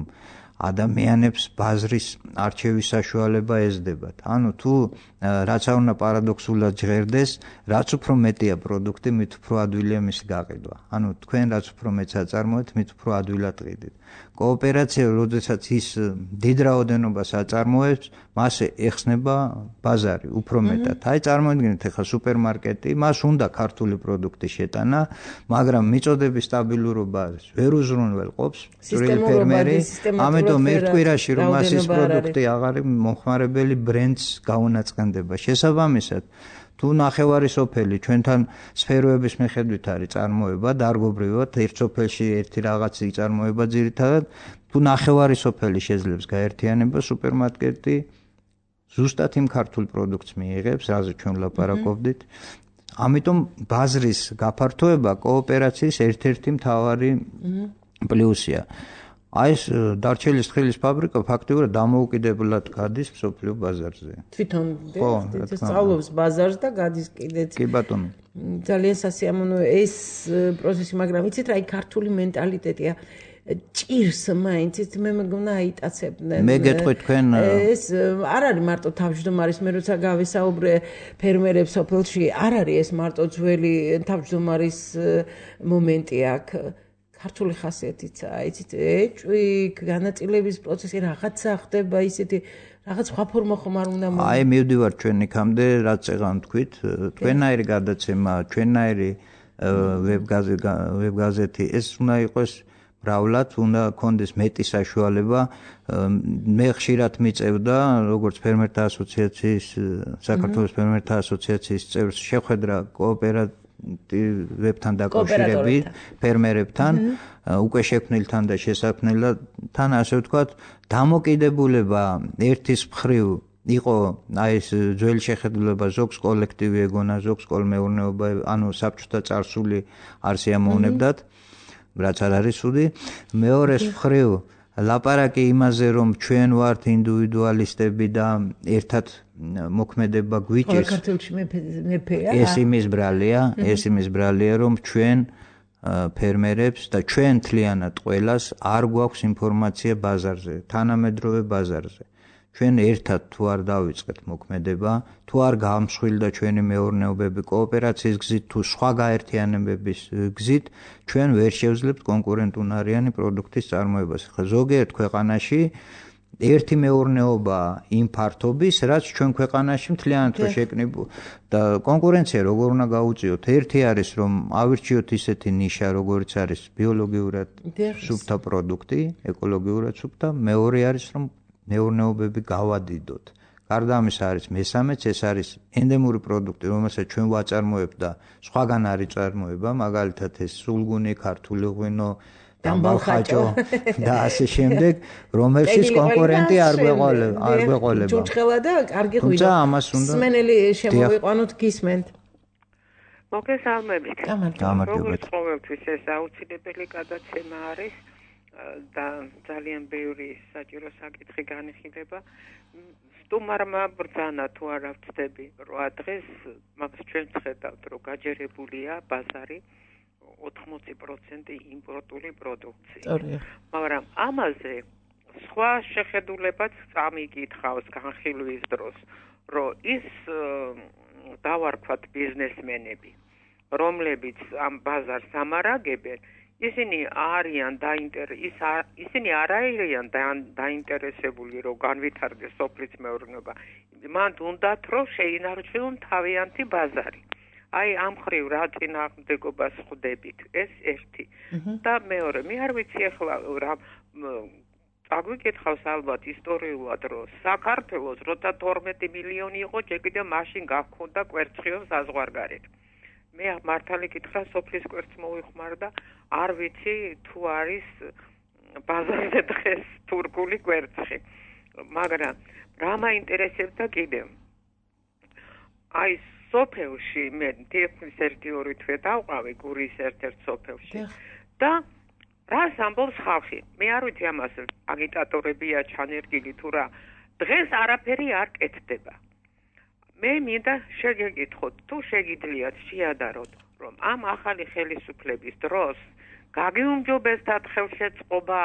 ადამიანებს ბაზრის არჩევის საშუალება ეძებათ. ანუ თუ რაც არ უნდა პარადოქსულად ჟღერდეს, რაც უფრო მეტია პროდუქტი, მით უფრო ადვილია მისი გაყიდვა. ანუ თქვენ რაც უფრო მეტს აწარმოებთ, მით უფრო ადვილად ყიდით. კოოპერაცია, როდესაც ის დიდ რაოდენობას აწარმოებს, მასე ეხსნება ბაზარი უფრო მეტად. აი წარმოიდგინეთ ახლა სუპერმარკეტი, მას უნდა ქართული პროდუქტი შეტანა, მაგრამ მიწოდების სტაბილურობა ვერ უზრუნველყოფს წვრილი ფერმერი, ამიტომ ერთ კვირაში რომ მას ის პროდუქტი აღარ მომხმარებელი ბრენდს გაუნაწყენდება. შესაბამისად, თუ ნახევარი სოფელი ჩვენთან სფეროების მიხედვით არის წარმოება, დარგობრივად ერთ სოფელში ერთი რაღაც იწარმოება ძირითადად, თუ ნახევარი სოფელი შეძლებს გაერთიანება, სუპერმარკეტი ზუსტად იმ ქართულ პროდუქტს მიიღებს, რაზე ჩვენ ვლაპარაკობდით. ამიტომ ბაზრის გაფართოება კოოპერაციის ერთ-ერთი მთავარი პლუსია. აი ეს დარჩელის თხილის ფაბრიკა ფაქტიურად დამოუკიდებლად გადის მსოფლიო ბაზარზე. თვითონ სწავლობს ბაზარს და გადის კიდეც. კი ბატონო. ძალიან სასიამოვნოა ეს პროცესი, მაგრამ იცით რა, ქართული მენტალიტეტია. ჭირს მაინც მე მეგონა აიტაცებდნენ. მე გეტყვი თქვენ ეს არ არის მარტო თავმჯდომარის, მე როცა გავესაუბრე ფერმერებს სოფელში, არ არის ეს მარტო ძველი თავმჯდომარის მომენტი აქ. ქართული ხასიათიცაა, იცით, ეჭვი, განაწილების პროცესი რაღაცა ხდება, ისეთი რაღაც სხვა ფორმა ხომ არ უნდა მოვა. აი მივდივარ ჩვენ იქამდე, რაც წეღან თქვით, თქვენაირი გადაცემა, ჩვენაირი ვებგაზეთი ეს უნდა იყოს მრავლად, უნდა კონდეს მეტი საშუალება. მე ხშირად მიწევდა, როგორც ფერმერთა ასოციაციის, საქართველოს ფერმერთა ასოციაციის წევრს შეხვედრა კოოპერატივებთან დაკავშირებით, ფერმერებთან, უკვე შექმნილთან და შესაქმნელთან, ასე ვთქვათ, დამოკიდებულება ერთის მხრივ იყო აი ეს ძველი შეხედულება ზოგს კოლექტივი ეგონა, ზოგს კოლმეურნეობა, ანუ საბჭოთა წარსული არ შეამოვნებდათ, რაც არ არის ცუდი. მეორეს მხრივ ლაპარაკი იმაზე, რომ ჩვენ ვართ ინდივიდუალისტები და ერთად მოქმედება გვიჭირს. საქართველოში მეფეა. ეს იმის ბრალია, რომ ჩვენ ფერმერებს და ჩვენ თლიანად ყველას არ გვაქვს ინფორმაცია ბაზარზე, თანამედროვე ბაზარზე. ჩვენ ერთად თუ არ დავიწყეთ მოქმედება, თუ არ გამსხვილდა ჩვენი მეურნეობები კოოპერაციის გზით, თუ სხვა გაერთიანებების გზით, ჩვენ ვერ შევძლებთ კონკურენტუნარიანი პროდუქტის წარმოებას. ხა ზოგიერთ ქვეყანაში ერთი მეურნეობა იმ ფართობის, რაც ჩვენ ქვეყანაში მთლიანად რო შეკნიბო და კონკურენცია როგორ უნდა გაუწიოთ? ერთი არის რომ ავირჩიოთ ისეთი ნიშა, როგორც არის ბიოლოგიურად სუფთა პროდუქტი, ეკოლოგიურად სუფთა, მეორე არის რომ მეურნეობები გავადიდოთ. გარდა ამისა არის მესამეც, ეს არის ენდემური პროდუქტი, რომელსაც ჩვენ ვაწარმოებთ და სხვაგან არ იწარმოება, მაგალითად ეს სულგუნი, ქართული ღვინო, დამბალხაჭო და ასე შემდეგ, რომელშიც კონკურენტი არ გვეყოლება. ჯუჯხელა და კარგი ღვინო. სმენელი შემოვიყვანოთ, გისმენთ. მოგესალმებით. გამარჯობათ. ყოველთვის ეს აუცილებელი გადაცემა არის და ძალიან ბევრი საჭირო საკითხი განიხილება. სტუმარმა ბრძანა თუ არა ვწდები, რა დღეს მაგას ჩვენ ვხედავთ, რომ გაჯერებულია ბაზარი 80% იმპორტული პროდუქცია. მაგრამ ამაზე სხვა შეხედულებაც წამიკითხავს განხილვის დროს, რომ ის დავარქვათ ბიზნესმენები, რომლებიც ამ ბაზარს ამარაგებენ, ისინი არ არიან დაინტერესებული, რომ განვითარდეს სოფლის მეურნეობა. მან უნდათ, რომ შეინარჩუნონ თავიანთი ბაზარი. აი ამ მხრივ რა წინააღმდეგობას ხვდებით, ეს ერთი. და მეორე, მე არ ვიცი ახლა რა წაგვიკითხავს ალბათ ისტორიულად, რომ საქართველოს როცა 12 მილიონი იყო, ჯერ კიდევ მაშინ გაქონდა კვერცხიოს საზღვარგარეთ. მე მართალი კითხრა, სოფლის კვერცხს მოვიხმარდა, არ ვიცი თუ არის ბაზარზე დღეს თურქული კვერცხი. მაგრამ რა მაინტერესებდა კიდევ? აი სოფელში მე თითქმის 1-2 თვე დავყავი გურის ერთ-ერთ სოფელში და რას ამბობს ხალხი? მე არ ვიცი ამას აგიტატორებია ჩანერგილი თუ რა. დღეს არაფერი არ კეთდება. მე მინდა შეგეკითხოთ, თუ შეგიძლიათ შეადაროთ, რომ ამ ახალი ხელისუფლების დროს გაგიუმჯობესდათ ხელშეწყობა,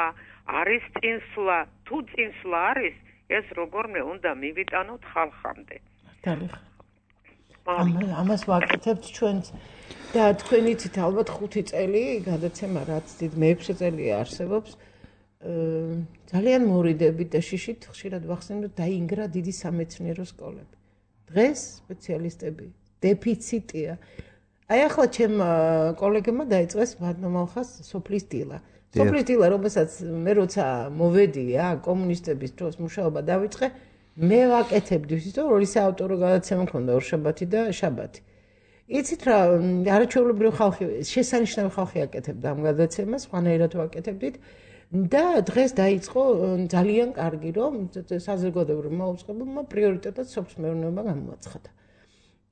არის წინსვლა, თუ წინსვლა არის, ეს როგორმე უნდა მივიტანოთ ხალხამდე. ამას ვაკეთებთ ჩვენც და თქვენი იცით ალბათ 5 წელი გადაცემა რაც დიდ მე-6 წელია არსებობს. ძალიან მორიდებით და შიშით ხშირად ვახსენებთ დაინგრა დიდი სამეცნიერო სკოლები. დღეს სპეციალისტები დეფიციტია. აი ახლა ჩემ კოლეგებმა დაიწყეს მადმოხას სოფლის დილა. სოფლის დილა, რომელსაც მე როცა მოვედი კომუნისტების დროს მუშაობა დავიწყე, მე ვაკეთებდი ისო, რომ ორი საავტორო გადაცემა მქონდა ორშაბათი და შაბათი. იცით რა, არაჩვეულებრივი ხალხი, შესანიშნავი ხალხი აკეთებდა ამ გადაცემას, სხვანაირად ვაკეთებდით. და დღეს დაიწყო ძალიან კარგი, რომ საზოგადოებრივმა უწყებებმა პრიორიტეტად სოფლის მეურნეობა გამოაცხადა.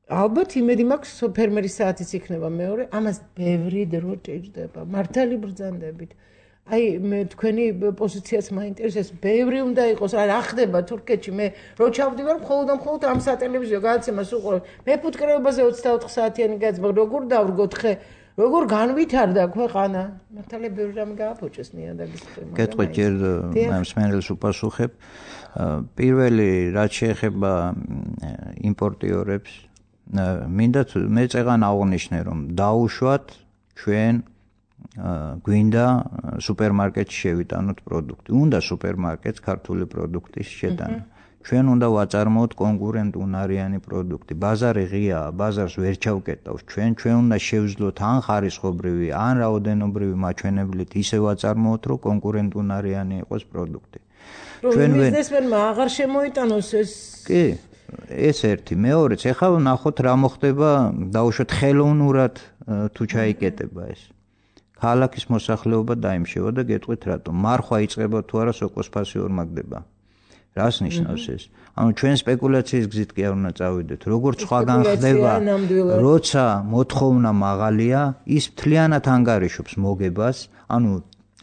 ალბათ იმედი მაქვს ფერმერის საათიც იქნება მეორე, ამას ბევრი დრო ჭირდება, მართალი ბრძანდებით. აი მე თქვენი პოზიციაც მაინტერესებს, ბევრი უნდა იყოს, რა ხდება თურქეთში, მე რო ჩავდივარ მხოლოდ ამ სატელევიზიო გადაცემას უყურებ. მე ფუტკრეობაზე 24 საათიანი გადაცემა, როგორ დავრგოთ ხე, როგორ განვითარდა ქვეყანა? მართალი ბევრი რამე გააფუჭეს ნიადაგის ხემა. კეთყვით ჯერ მსმენელს უპასუხებ. პირველი რაც შეეხება იმპორტიორებს, მინდა მე წეგან აღვნიშნე, რომ დაუშვათ ჩვენ გვინდა სუპერმარკეტში შევიტანოთ პროდუქტი. უნდა სუპერმარკეტს ქართული პროდუქტის შეტანა. ჩვენ უნდა ვაწარმოოთ კონკურენტუნარიანი პროდუქტი. ბაზარი ღიაა, ბაზარს ვერ ჩავკეტავს. ჩვენ უნდა შევძლოთ ან ხარისხობრივი, ან რაოდენობრივი მაჩვენებლით ისე ვაწარმოოთ, რომ კონკურენტუნარიანი იყოს პროდუქტი. ჩვენ ბიზნესმენმა აღარ შემოიტანოს ეს. კი, ეს ერთი. მეორეც, ეხლა ნახოთ რა მოხდება, დაუშვათ ხელოვნურად თუ ჩაიკეტება ეს. ქალაქის მოსახლეობა დაიმშევა და გეტყვით რატომ? მარხვა იწყება თუ არა სოკოს ფასი ორმაგდება. რას ნიშნავს ეს? ანუ ჩვენ სპეკულაციის გზით კი არ უნდა წავიდეთ. როგორც სხვაგან ხდება, როცა მოთხოვნა მაღალია, ის მთლიანად ანგარიშობს მოგებას, ანუ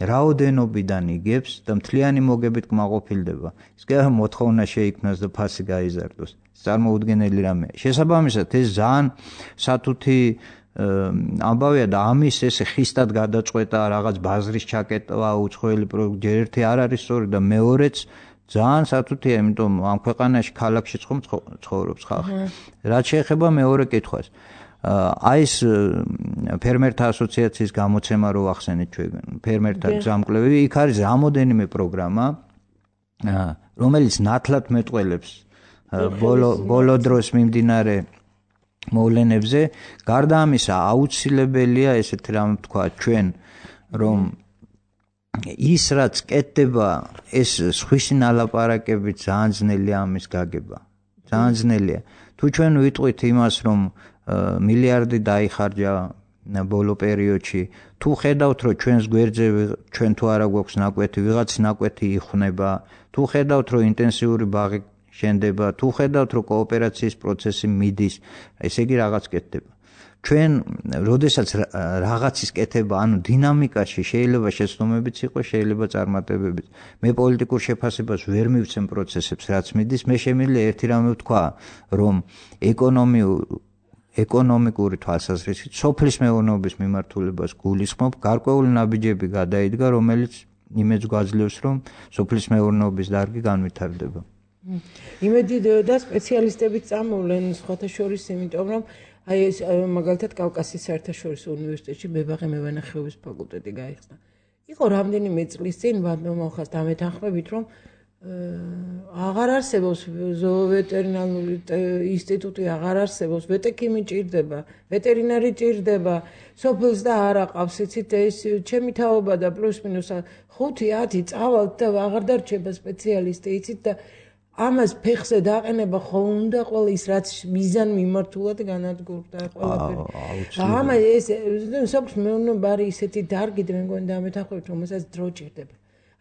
რაოდენობიდან იგებს და მთლიანი მოგებით კმაყოფილდება. ის კი არა მოთხოვნა შეიქმნას და ფასი გაიზარდოს. წარმოუდგენელი რამეა. შესაბამისად, ეს ძალიან სათუთი ამბავია და ამის ესე ხისტად გადაწყვეტა რაღაც ბაზრის ჩაკეტვა უცხოელი პროდუქტი ერთი არ არის სწორი და მეორეც ძალიან სათუთია, იმიტომ ამ ქვეყანაში ქალაქშიც ხომ ცხოვრობს ხალხი. რაც შეეხება მეორე კითხვას. აი ეს ფერმერთა ასოციაციის გამოცემა რო ახსენეთ ჩვენ, ფერმერთა გზამკვლევი, იქ არის რამოდენიმე პროგრამა, რომელიც ნათლად მეტყველებს ბოლო დროს მიმდინარე მოვლენებზე. გარდა ამისა, აუცილებელია ესეთი რამე თქვა ჩვენ, რომ ის რაც კეთდება, ეს სხვისი ნალაპარაკებით ძალიან ძნელია ამის გაგება. ძალიან ძნელია. თუ ჩვენ ვიტყვით იმას, რომ მილიარდი დაიხარჯა ბოლო პერიოდში, თუ ხედავთ, რომ ჩვენს გვერდზე ჩვენ თუ არა გვაქვს ნაკვეთი, ვიღაც ნაკვეთი იხუნება, თუ ხედავთ, რომ ინტენსიური ბაღი შენდება, თუ ხედავთ, რომ კოოპერაციის პროცესი მიდის, ესე იგი რაღაც კეთდება. ჩვენ, როდესაც რაღაცის კეთება, ანუ დინამიკაში შეიძლება შეცდომებიც იყოს, შეიძლება წარმატებებიც. მე პოლიტიკურ შეფასებას ვერ მივცემ პროცესებს, რაც მიდის, მე შემიძლია ერთი რამე ვთქვა, რომ ეკონომიკური თვალსაზრისით სოფლის მეურნეობის მიმართულებას გულისხმობ, გარკვეული ნაბიჯები გადაიდგა, რომელიც იმედს გვაძლევს, რომ სოფლის მეურნეობის დარგი განვითარდება. იმედი და სპეციალისტებიც წამოვლენ სხვათა შორის, იმიტომ რომ აი ეს მაგალითად კავკასიის საერთაშორისო უნივერსიტეტში მებაღე მევენახეობის ფაკულტეტი გაიხსნა. იყო რამდენიმე წლის წინ მომხდარა დამეთანხმებით, რომ აღარ არსებობს ზოოვეტერინარული ინსტიტუტი, აღარ არსებობს, ვეტექიმი ჭირდება, ვეტერინარი ჭირდება, სოფელს და არ აყავს, იცით, ეს ჩემი თაობა და პლუს მინუს 5-10 წავალთ და აღარ დარჩება სპეციალისტი, იცით და ამას ფეხზე დაყენება ხო უნდა ყველა ის რაც მიზან მიმართულად განადგურდა ყველაფერი. ამა ეს სოფლის მეურნეობა არის ისეთი დარგი, მე მგონი დამეთანხმებით, რომელსაც დრო ჭირდება.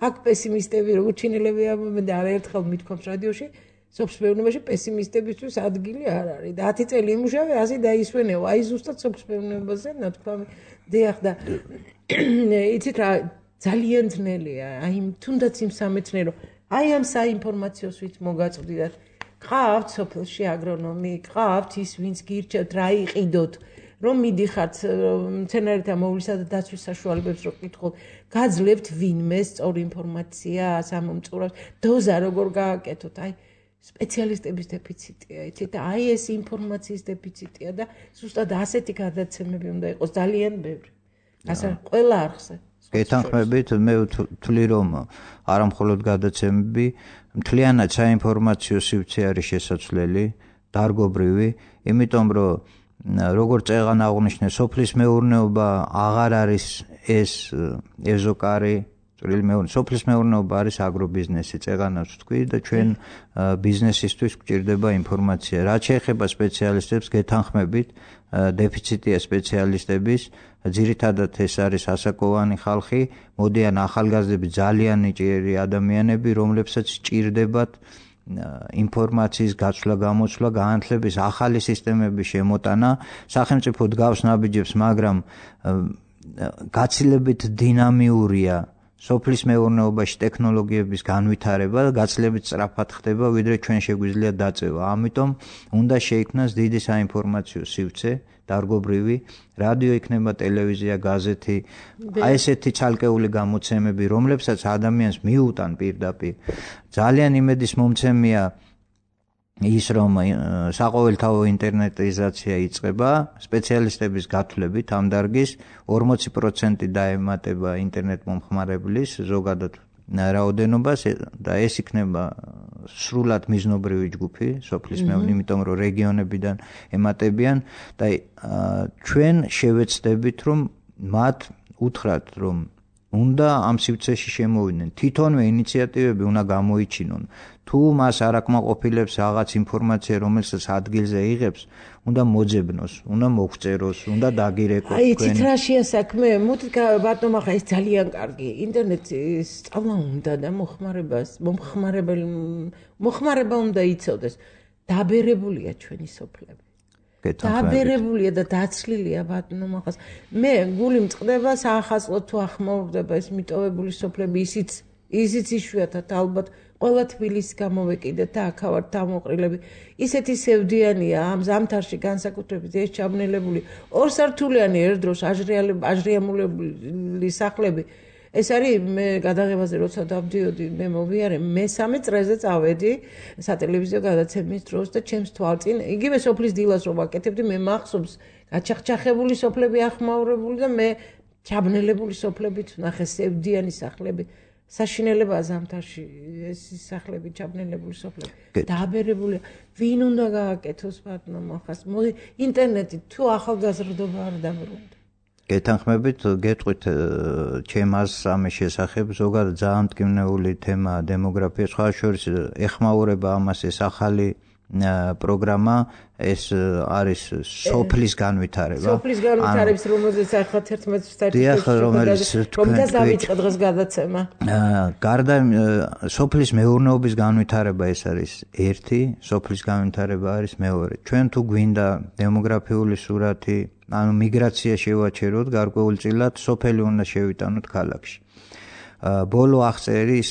აქ პესიმისტები როგორც ჩინელები ამბობენ და არაერთხელ მithქვამს რადიოში, სოფლის მეურნეობაში პესიმისტებისთვის ადგილი არ არის. 10 წელი იმუშავე, 100 დაისვენეო. აი ზუსტად სოფლის მეურნეობაზე ნათქვამი დიახ და იცით რა ძალიან ძნელია. აი თუნდაც იმ სამეცნიერო აი ამ საინფორმაციოს ვით მოგაწვდით. ყავთ სოფელში აგრონომი, ყავთ ის ვინც გირჩევთ რა იყიდოთ, რომ მიდიხართ მცენარეთა მოვლისა და დაცვის საშუალებებს რო კითხულობ, გაძლევთ ვინმე სწორი ინფორმაცია სამომწურავს, დოზა როგორ გააკეთოთ, აი სპეციალისტების დეფიციტია, იცით და აი ეს ინფორმაციის დეფიციტია და ზუსტად ასეთი გადაცემები უნდა იყოს ძალიან ბევრი. ასე ყველა არხზე. გეთანხმებით, მე ვთვლი, რომ არა მხოლოდ გადაცემები, მთლიანად საინფორმაციო სივრცე არის შესაძლებელი, დარგობრივი, იმიტომ რომ როგორც წეღან აღნიშნე, სოფლის მეურნეობა აღარ არის ეს ეზოკარი, წვრილი მეურნეობა, სოფლის მეურნეობა არის აგრობიზნესი, წეღანაც ვთქვი და ჩვენ ბიზნესისთვის გვჭირდება ინფორმაცია. რაც შეეხება სპეციალისტებს, გეთანხმებით, დეფიციტია სპეციალისტების, ძირითადად ეს არის ასაკოვანი ხალხი, მოდიან ახალგაზრდები, ძალიან ნიჭიერი ადამიანები, რომლებსაც ჭირდებათ ინფორმაციის გაცვლა, გამოცვლა, განათლების ახალი სისტემების შემოტანა. სახელმწიფო დგავს ნაბიჯებს, მაგრამ გაცილებით დინამიურია სოფლის მეურნეობაში ტექნოლოგიების განვითარება და გაცილებით სწრაფად ხდება, ვიდრე ჩვენ შეგვიძლია დაწევა. ამიტომ უნდა შეიქმნას დიდი საინფორმაციო სივრცე, დარგობრივი, რადიო იქნება, ტელევიზია, გაზეთი, აი ესეთი ცალკეული გამოცემები, რომლებსაც ადამიანს მიუტან პირდაპირ. ძალიან იმედის მომცემია ის რომ საყოველთაო ინტერნეტიზაცია იწყება, სპეციალისტების გათვლებით ამ დარგის 40% დაემატება ინტერნეტ მომხმარებლის ზოგადად რაოდენობას და ეს იქნება სრულად მიზნობრივი ჯგუფი სოფლის მეურნეობისადმი, იმიტომ რომ რეგიონებიდან ემატებიან და ჩვენ შევეცდებით რომ მათ უთხრათ რომ უნდა ამ სივრცეში შემოვიდნენ, თვითონვე ინიციატივები უნდა გამოიჩინონ. თუ მას არ აკმაყოფილებს რაღაც ინფორმაცია, რომელსაც ადგილზე იღებს, უნდა მოძებნოს, უნდა მოგვწეროს, უნდა დაგირეკოს. აი, თით რაშია საქმე? მოდით ბატონო, ახლა ეს ძალიან კარგი. ინტერნეტის სწავლა უნდა და მომხმარება უნდა იცოდეს. დაბერებულია ჩვენი სოფლები. დაბერებულია და დაცლილია ბატონო ახლა. მე გული მწყდება საახალწლო თუ ახმოვდება ეს მიტოვებული სოფლები, ისიც იშვიათად ალბათ ყველა თბილისს გამოვეკიდეთ და აქ ვართ დამოყრილები. ისეთი სევდიანია ამ ზამთარში განსაკუთრებით ეს ჩაბნელებული ორსართულიანი ერთდროს აჟრიამულებული სახლები. ეს არის მე გადაღებაზე როცა დავდიოდი, მე მოვიარე, მესამე წრეზე წავედი სატელევიზიო გადაცემის დროს და ჩემს თვალწინ იგივე სოფლის დილას რომ ვაკეთებდი, მე მახსოვს გაჩახჩახებული სოფლები ახმაურებული და მე ჩაბნელებული სოფლებით ვნახე სევდიანი სახლები. საშინელებაა ზამთარში ეს სახლები ჩაბნელებული სოფლები. დააბერებულია. ვინ უნდა გააკეთოს ბატონო ახლა? ინტერნეტი თუ ახალგაზრდობა არ დაბრუნდა. გეთანხმებით, გეტყვით ჩემს ამის შესახებ, ზოგადად ძალიან მტკივნეული თემა დემოგრაფია, სხვა შორის ეხმაურება ამას ეს ახალი პროგრამა, ეს არის სოფლის განვითარება. სოფლის განვითარების რომელზეც ახლა 11 საერთაშორისო რომელიც დავიწყე დღეს გადაცემა. გარდა სოფლის მეურნეობის განვითარება ეს არის ერთი, სოფლის განვითარება არის მეორე. ჩვენ თუ გვინდა დემოგრაფიული სურათი, ანუ მიგრაცია შევაჩეროთ გარკვეულწილად, სოფელი უნდა შევიტანოთ ქალაქში. ბოლო აღწერის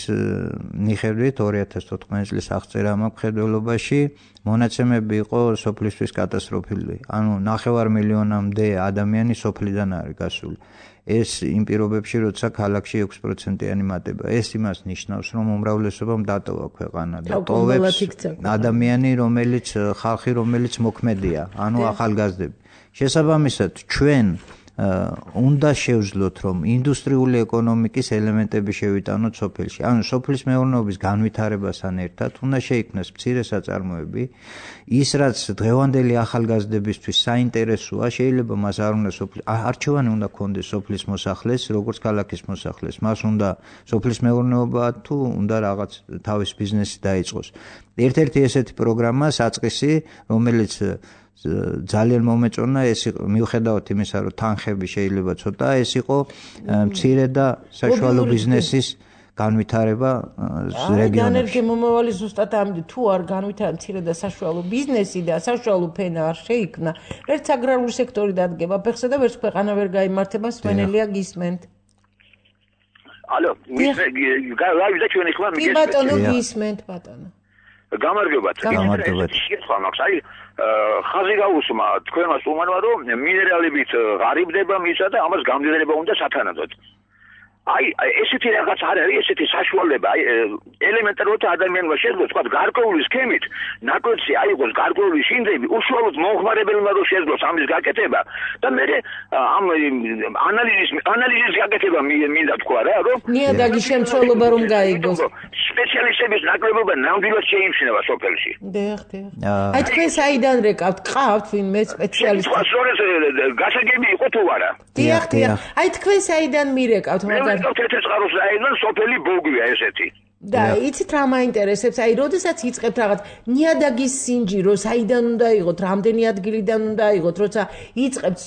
მიხედვით 2014 წლის აღწერა მხედველობაში მონაცემები იყო სოფლისთვის კატასტროფული. ანუ 9 მილიონამდე ადამიანი სოფლიდან არის გასული. ეს იმ პირობებში, როცა ქალაქში 6%-იანი მატება. ეს იმას ნიშნავს, რომ უმრავლესობამ დატოვა ქვეყანა და ტოვებს ადამიანი, ხალხი, რომელიც მოქმედია, ანუ ახალგაზრდები. შესაბამისად, ჩვენ უნდა შევძლოთ, რომ ინდუსტრიული ეკონომიკის ელემენტები შევიტანოთ სოფელში. ანუ სოფლის მეურნეობის განვითარებასთან ერთად უნდა შეიქმნას მცირე საწარმოები, ის რაც დღევანდელი ახალგაზრდებისთვის საინტერესოა, შეიძლება მას არ უნდა არჩევანი უნდა ქონდეს სოფლის მოსახლეს, როგორც ქალაქის მოსახლეს. მას უნდა სოფლის მეურნეობა თუ უნდა რაღაც თავის ბიზნესი დაიწყოს. ერთ-ერთი ესეთი პროგრამა საწყისი, რომელიც ძალიან მომეწონა, ეს მიუხედავად იმისა, რომ თანხები შეიძლება ცოტა, ეს იყო მცირე და საშუალო ბიზნესის განვითარება რეგიონებში. განერგე მომავალი ზუსტად ამით, თუ არ განვითარდა მცირე და საშუალო ბიზნესი და საშუალო ფენა არ შეიქმნა, ერთ აგრარული სექტორი დადგება ფეხზე და ვერც ქვეყანა ვერ გაიმართება, სვენელია გისმენთ. ალო, ლაივი და ჩვენი ხმა მიგესმენთ. კი ბატონო, გისმენთ ბატონო. გამარჯობათ. აი, ხაზი გაუსმა თქვენმა სტუმარმა, რომ მინერალებით ღარიბდება მისა და ამას გამდიდრება უნდა სათანადოდ. აი, ესეთი რაღაც არ არის, ესეთი საშუალება, აი, ელემენტარულად ადამიანმა შეძლოს, თქვა, გარკვეული სქემით, ნაკლებში აიღოს გარკვეული შინდები, უშუალოდ მომხმარებელმა რომ შეძლოს ამის გაკეთება და მე ამ ანალიზის გაკეთება მინდა თქვა რა, რომ ნიადაგის შემცველობა რომ გაიგოს. სპეციალისტების ნაკლებობა ნამდვილად შეიმჩნევა სოფელში. დიახ. აი, თქვენ საიდან რეკავთ? ყავთ ვინმე სპეციალისტი? გასაგები იყო თუ არა? დიახ. აი, თქვენ საიდან მირეკავთ? თეთრწყაროს რაიონიდან სოფელი ბოგვია ესეთი. და იცით რა მაინტერესებს? აი, როდესაც იწყებთ რაღაც ნიადაგის სინჯირო, საიდან უნდა იღოთ, რამდენი ადგილიდან უნდა იღოთ, როცა იწყებთ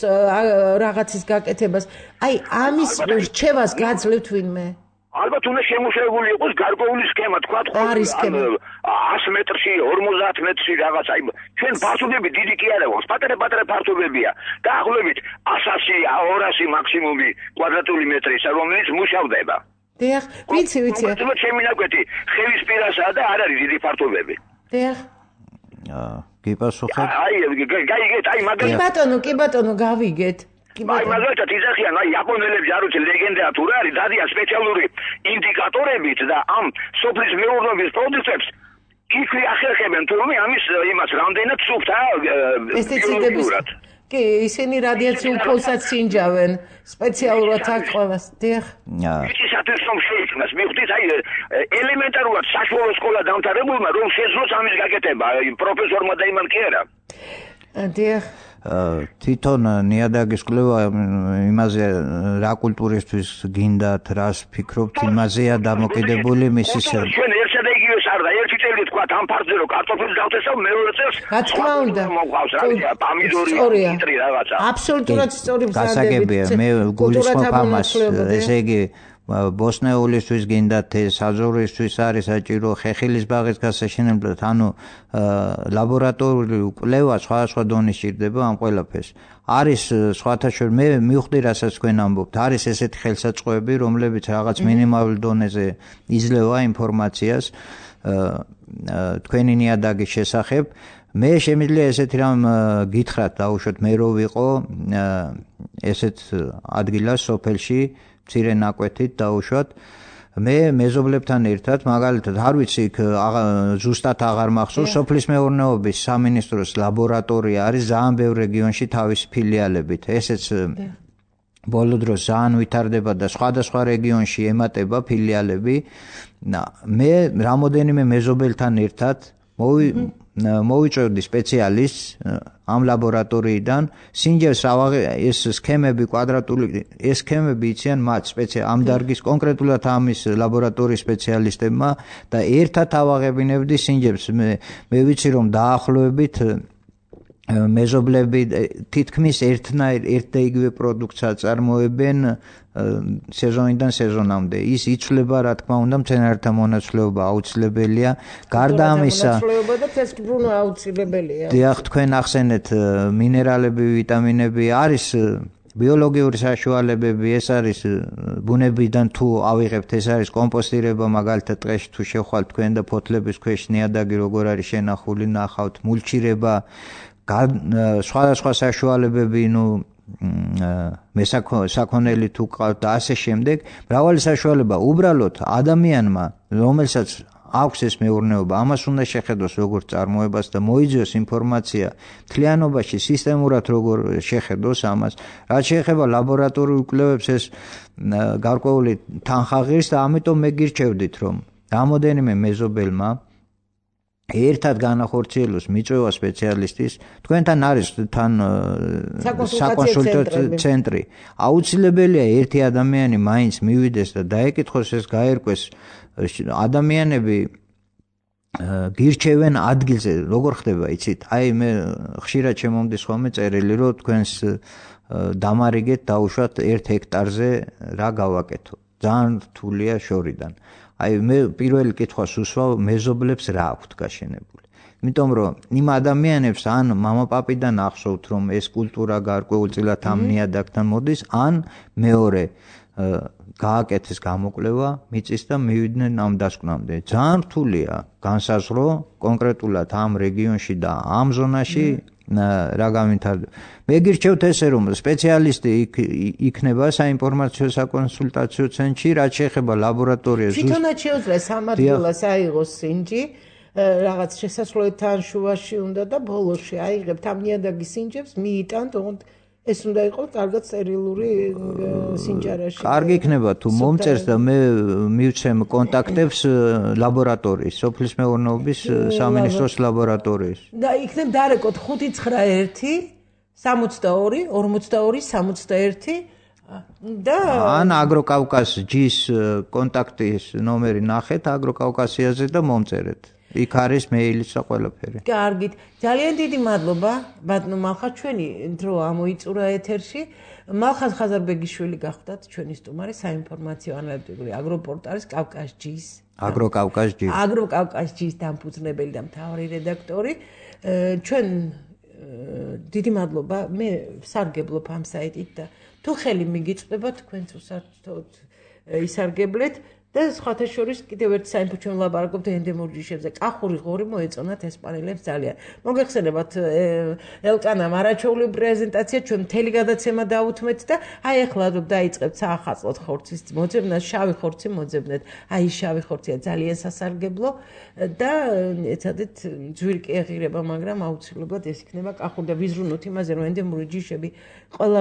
რაღაცის გაკეთებას, აი, ამის რჩევას გაძლევთ ვინმე? ალბათ უნდა შემუშავებული იყოს გარკვეული სქემა, თქვა 100 მეტრში, 50 მეტრში რაღაც, აი, ჩვენ ფართობები დიდი კი არა გვაქვს, პატარა ფართობებია. დაახლოებით 100, 200 მაქსიმუმი კვადრატული მეტრისა, რომელიც მუშავდება. დიახ, ვიცი. კონკრეტულად ჩემი ნაკვეთი ხელის პირასაა და არ არის დიდი ფართობები. დიახ. გიპასუხებ? აი, გაიგეთ, აი, მაგალითად. კი ბატონო, გავიგეთ. აი, მაგალითად იზახიან, აი, იაპონელებს არ ვიცი ლეგენდა თუ რა არის, დადიან სპეციალური ინდიკატორებით და ამ სოფლის მეურნეობის პროდუქტებს იქ ახერხებენ თურმე ამის იმას რამდენად სუფთა პესტიციდების კი ისინი რადიაციულ ფოლსაც სინჯავენ სპეციალურად აქ ყველას დიახ ისათვის რომ შეიქმნას მივხვდით აი ელემენტარულად საშუალო სკოლა დამთავრებულმა რომ შეძლოს ამის გაკეთება პროფესორმა და იმან კი არა დიახ თვითონ ნიადაგის კვლევა იმაზე რა კულტურისთვის გინდათ რას ფიქრობთ იმაზეა დამოკიდებული მისი ჩვენ ერთსა და იგივეს არ და ერთი წელი თქვა ამ ფარზე რომ კარტოფილს დავთესავ მეორე წელს რა თქმა უნდა მოყავს რა ვიცი პამიდორი იტრი რაღაცა აბსოლუტურად სწორი გასაგებია მე გულისხმობ ამას ესე იგი ბოსნეულისთვის გინდათ საზორისთვის არის საჭირო ხეხილის ბაღის გასაშენებლად ანუ ლაბორატორიული კვლევა სხვადასხვა დონის სჭირდება ამ ყველაფერს არის სხვათა შორის მე მივხვდი რასაც თქვენ ამბობთ არის ესეთი ხელსაწყოები რომლებიც რაღაც მინიმალურ დონეზე იძლევა ინფორმაციას თქვენი ნიადაგის შესახებ მე შემიძლია ესეთი რამ გითხრათ დაუშვათ მე რო ვიყო ესეთ ადგილას სოფელში მცირე ნაკვეთით დაუშვათ მე მეზობლებთან ერთად მაგალითად არ ვიცი იქ ზუსტად აღარ მახსოვს სოფლის მეურნეობის სამინისტროს ლაბორატორია არის ძალიან ბევრ რეგიონში თავისი ფილიალებით ესეც ბოლო დროს ძალიან ვითარდება და სხვადასხვა რეგიონში ემატება ფილიალები მე რამოდენიმე მეზობელთან ერთად მოვიწევდი სპეციალისტს ამ ლაბორატორიიდან სინჯებს ეს სქემები კვადრატული ეს სქემები იციან მათ ამ დარგის კონკრეტულად ამის ლაბორატორიის სპეციალისტებმა და ერთად ავაღებინებდი სინჯებს მე ვიცი რომ დაახლოებით მეზობლები თითქმის ერთ და იგივე პროდუქტს აწარმოებენ სეზონიდან სეზონამდე ის იცვლება რა თქმა უნდა მცენარეთა მონაცვლეობა აუცილებელია გარდა ამისა მონაცვლეობა და თესკბრუნვა აუცილებელია დიახ თქვენ ახსენეთ მინერალები ვიტამინები არის ბიოლოგიური საშუალებები ეს არის ბუნებიდან თუ ავიღებთ ეს არის კომპოსტირება მაგალითად ტყეში თუ შევხვალთ თქვენ და ფოთლების ქვეშ ნიადაგი როგორ არის შენახული ნახავთ მულჩირება სხვადასხვა საშუალებები საკონელი თუ ყავთ და ასე შემდეგ მრავალი საშუალება უბრალოდ ადამიანმა რომელსაც აქვს ეს მეურნეობა ამას უნდა შეხედოს როგორც წარმოებას და მოიძიოს ინფორმაცია მთლიანობაში სისტემურად როგორ შეხედოს ამას რაც შეეხება ლაბორატორიულ კვლევებს ეს გარკვეული თანხა ღირს და ამიტომ მე გირჩევდით რომ რამოდენიმე მეზობელმა ერთად განახორციელოს მიწვევა სპეციალისტის თქვენთან არის თან საკონსულტაციო ცენტრი აუცილებელია ერთი ადამიანი მაინც მივიდეს და დაეკითხოს ეს გაერკვეს ადამიანები გირჩევენ ადგილზე როგორ ხდება იცით აი მე ხშირად შემომდის ხოლმე წერილი რომ თქვენს დამარიგეთ დაუშვათ 1 ჰექტარზე რა გავაკეთო ძალიან რთულია შორიდან აი მე პირველი კითხვას უსვავ მეზობლებს რა აქვთ გაშენებული იმიტომ რომ იმ ადამიანებს ან მამაპაპიდან ახსოვთ რომ ეს კულტურა გარკვეულწილად ამ ნიადაგთან მოდის ან მეორე გააკეთეს გამოკვლევა მიწის და მივიდნენ ამ დასკვნამდე ძალიან რთულია განსაზღვრო კონკრეტულად ამ რეგიონში და ამ ზონაში რა გამითარდება მე გირჩევთ ესე რომ სპეციალისტი იქნება საინფორმაციო საკონსულტაციო ცენტრში რაც შეეხება ლაბორატორიას თვითონაც შეუძლია სამართლას აიღოს სინჯი რაღაც შესასვლელთან შუაში უნდა და ბოლოში აიღებთ ამ ნიადაგის სინჯებს მიიტანთ ოღონდ ეს უნდა იყოს კარგად სტერილური სინჯარაში. კარგი იქნება თუ მომწერს და მე მივცემ კონტაქტებს ლაბორატორიის, სოფლის მეურნეობის სამინისტროს ლაბორატორიის. და იქნებ დარეკოთ 591 62 42 61 და ან აგროკავკას ჯის კონტაქტის ნომერი ნახეთ აგროკავკასიაზე და მომწერეთ. იქ არის მეილიც და ყველაფერი. კარგით. ძალიან დიდი მადლობა ბატონო მალხაზ ჩვენი დრო ამოიწურა ეთერში. მალხაზ ხაზარბეგიშვილი გახდათ ჩვენი სტუმარი საინფორმაციო ანალიტიკური აგროპორტალის კავკასჯის აგროკავკასჯის დამფუძნებელი და მთავარი რედაქტორი. ჩვენ დიდი მადლობა. მე სარგებლობ ამ საიტით და თუ ხელი მიგიწვდება თქვენც უსარგებლოდ ისარგებლეთ და სხვათა შორის კიდევ ერთი საინფო ჩვენ ვლაპარაკობთ ენდემურ ჯიშებზე. კახური ღორი მოეწონათ ესპანელებს ძალიან. მოგეხსენებათ ელკანამ არაჩვეული პრეზენტაცია ჩვენ მთელი გადაცემა დაუთმეთ და აი ახლა დაიწყებთ საახალწლოდ ხორცის მოძებნას, შავი ხორცი მოძებნეთ. აი შავი ხორცია ძალიან სასარგებლო და ეცადეთ ძვირკი ეღირება, მაგრამ აუცილებლად ეს იქნება კახური და ვიზრუნოთ იმაზე, რომ ენდემური ჯიშები ყველა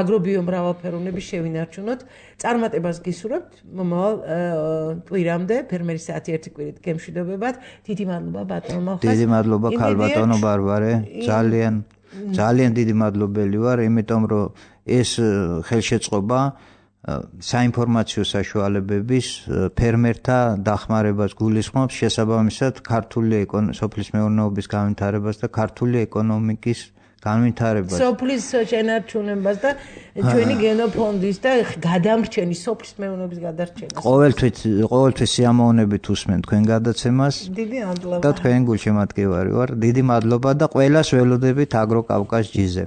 აგრობიომრავალფეროვნების შევინარჩუნოთ. წარმატებას გისურვებთ მომავალ კვირამდე ფერმერის საათი ერთი კვირით გემშვიდობებად. დიდი მადლობა ბატონო მალხას. დიდი მადლობა ქალბატონო ბარბარე. ძალიან დიდი მადლობელი ვარ, იმიტომ რომ ეს ხელშეწყობა საინფორმაციო საშუალებების ფერმერთა დახმარებას გულისხმობს, შესაბამისად ქართული სოფლის მეურნეობის განვითარებას და ქართული ეკონომიკის განვითარებას. სოფლის შენარჩუნებას და ჩვენი გენოფონდის და გადამრჩენის სოფლის მეურნეობის გადარჩენას. ყოველთვის სიამოვნებით უსმენ თქვენ გადაცემას. დიდი მადლობა. და თქვენ გულშემატკივარი ვარ. დიდი მადლობა და ყველას ველოდებით აგროკავკას ჯიზე.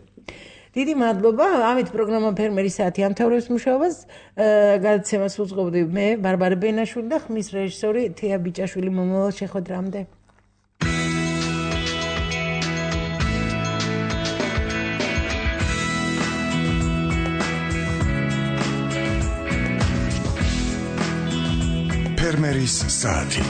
დიდი მადლობა. ამით პროგრამა ფერმერის საათი ამთავრებს მუშაობას. გადაცემას უძღვობდი მე ბარბარე ბენაშვილი და ხმის რეჟისორი თეა ბიჭაშვილი. მომავალ შეხვედრამდე. ფერმერის საათი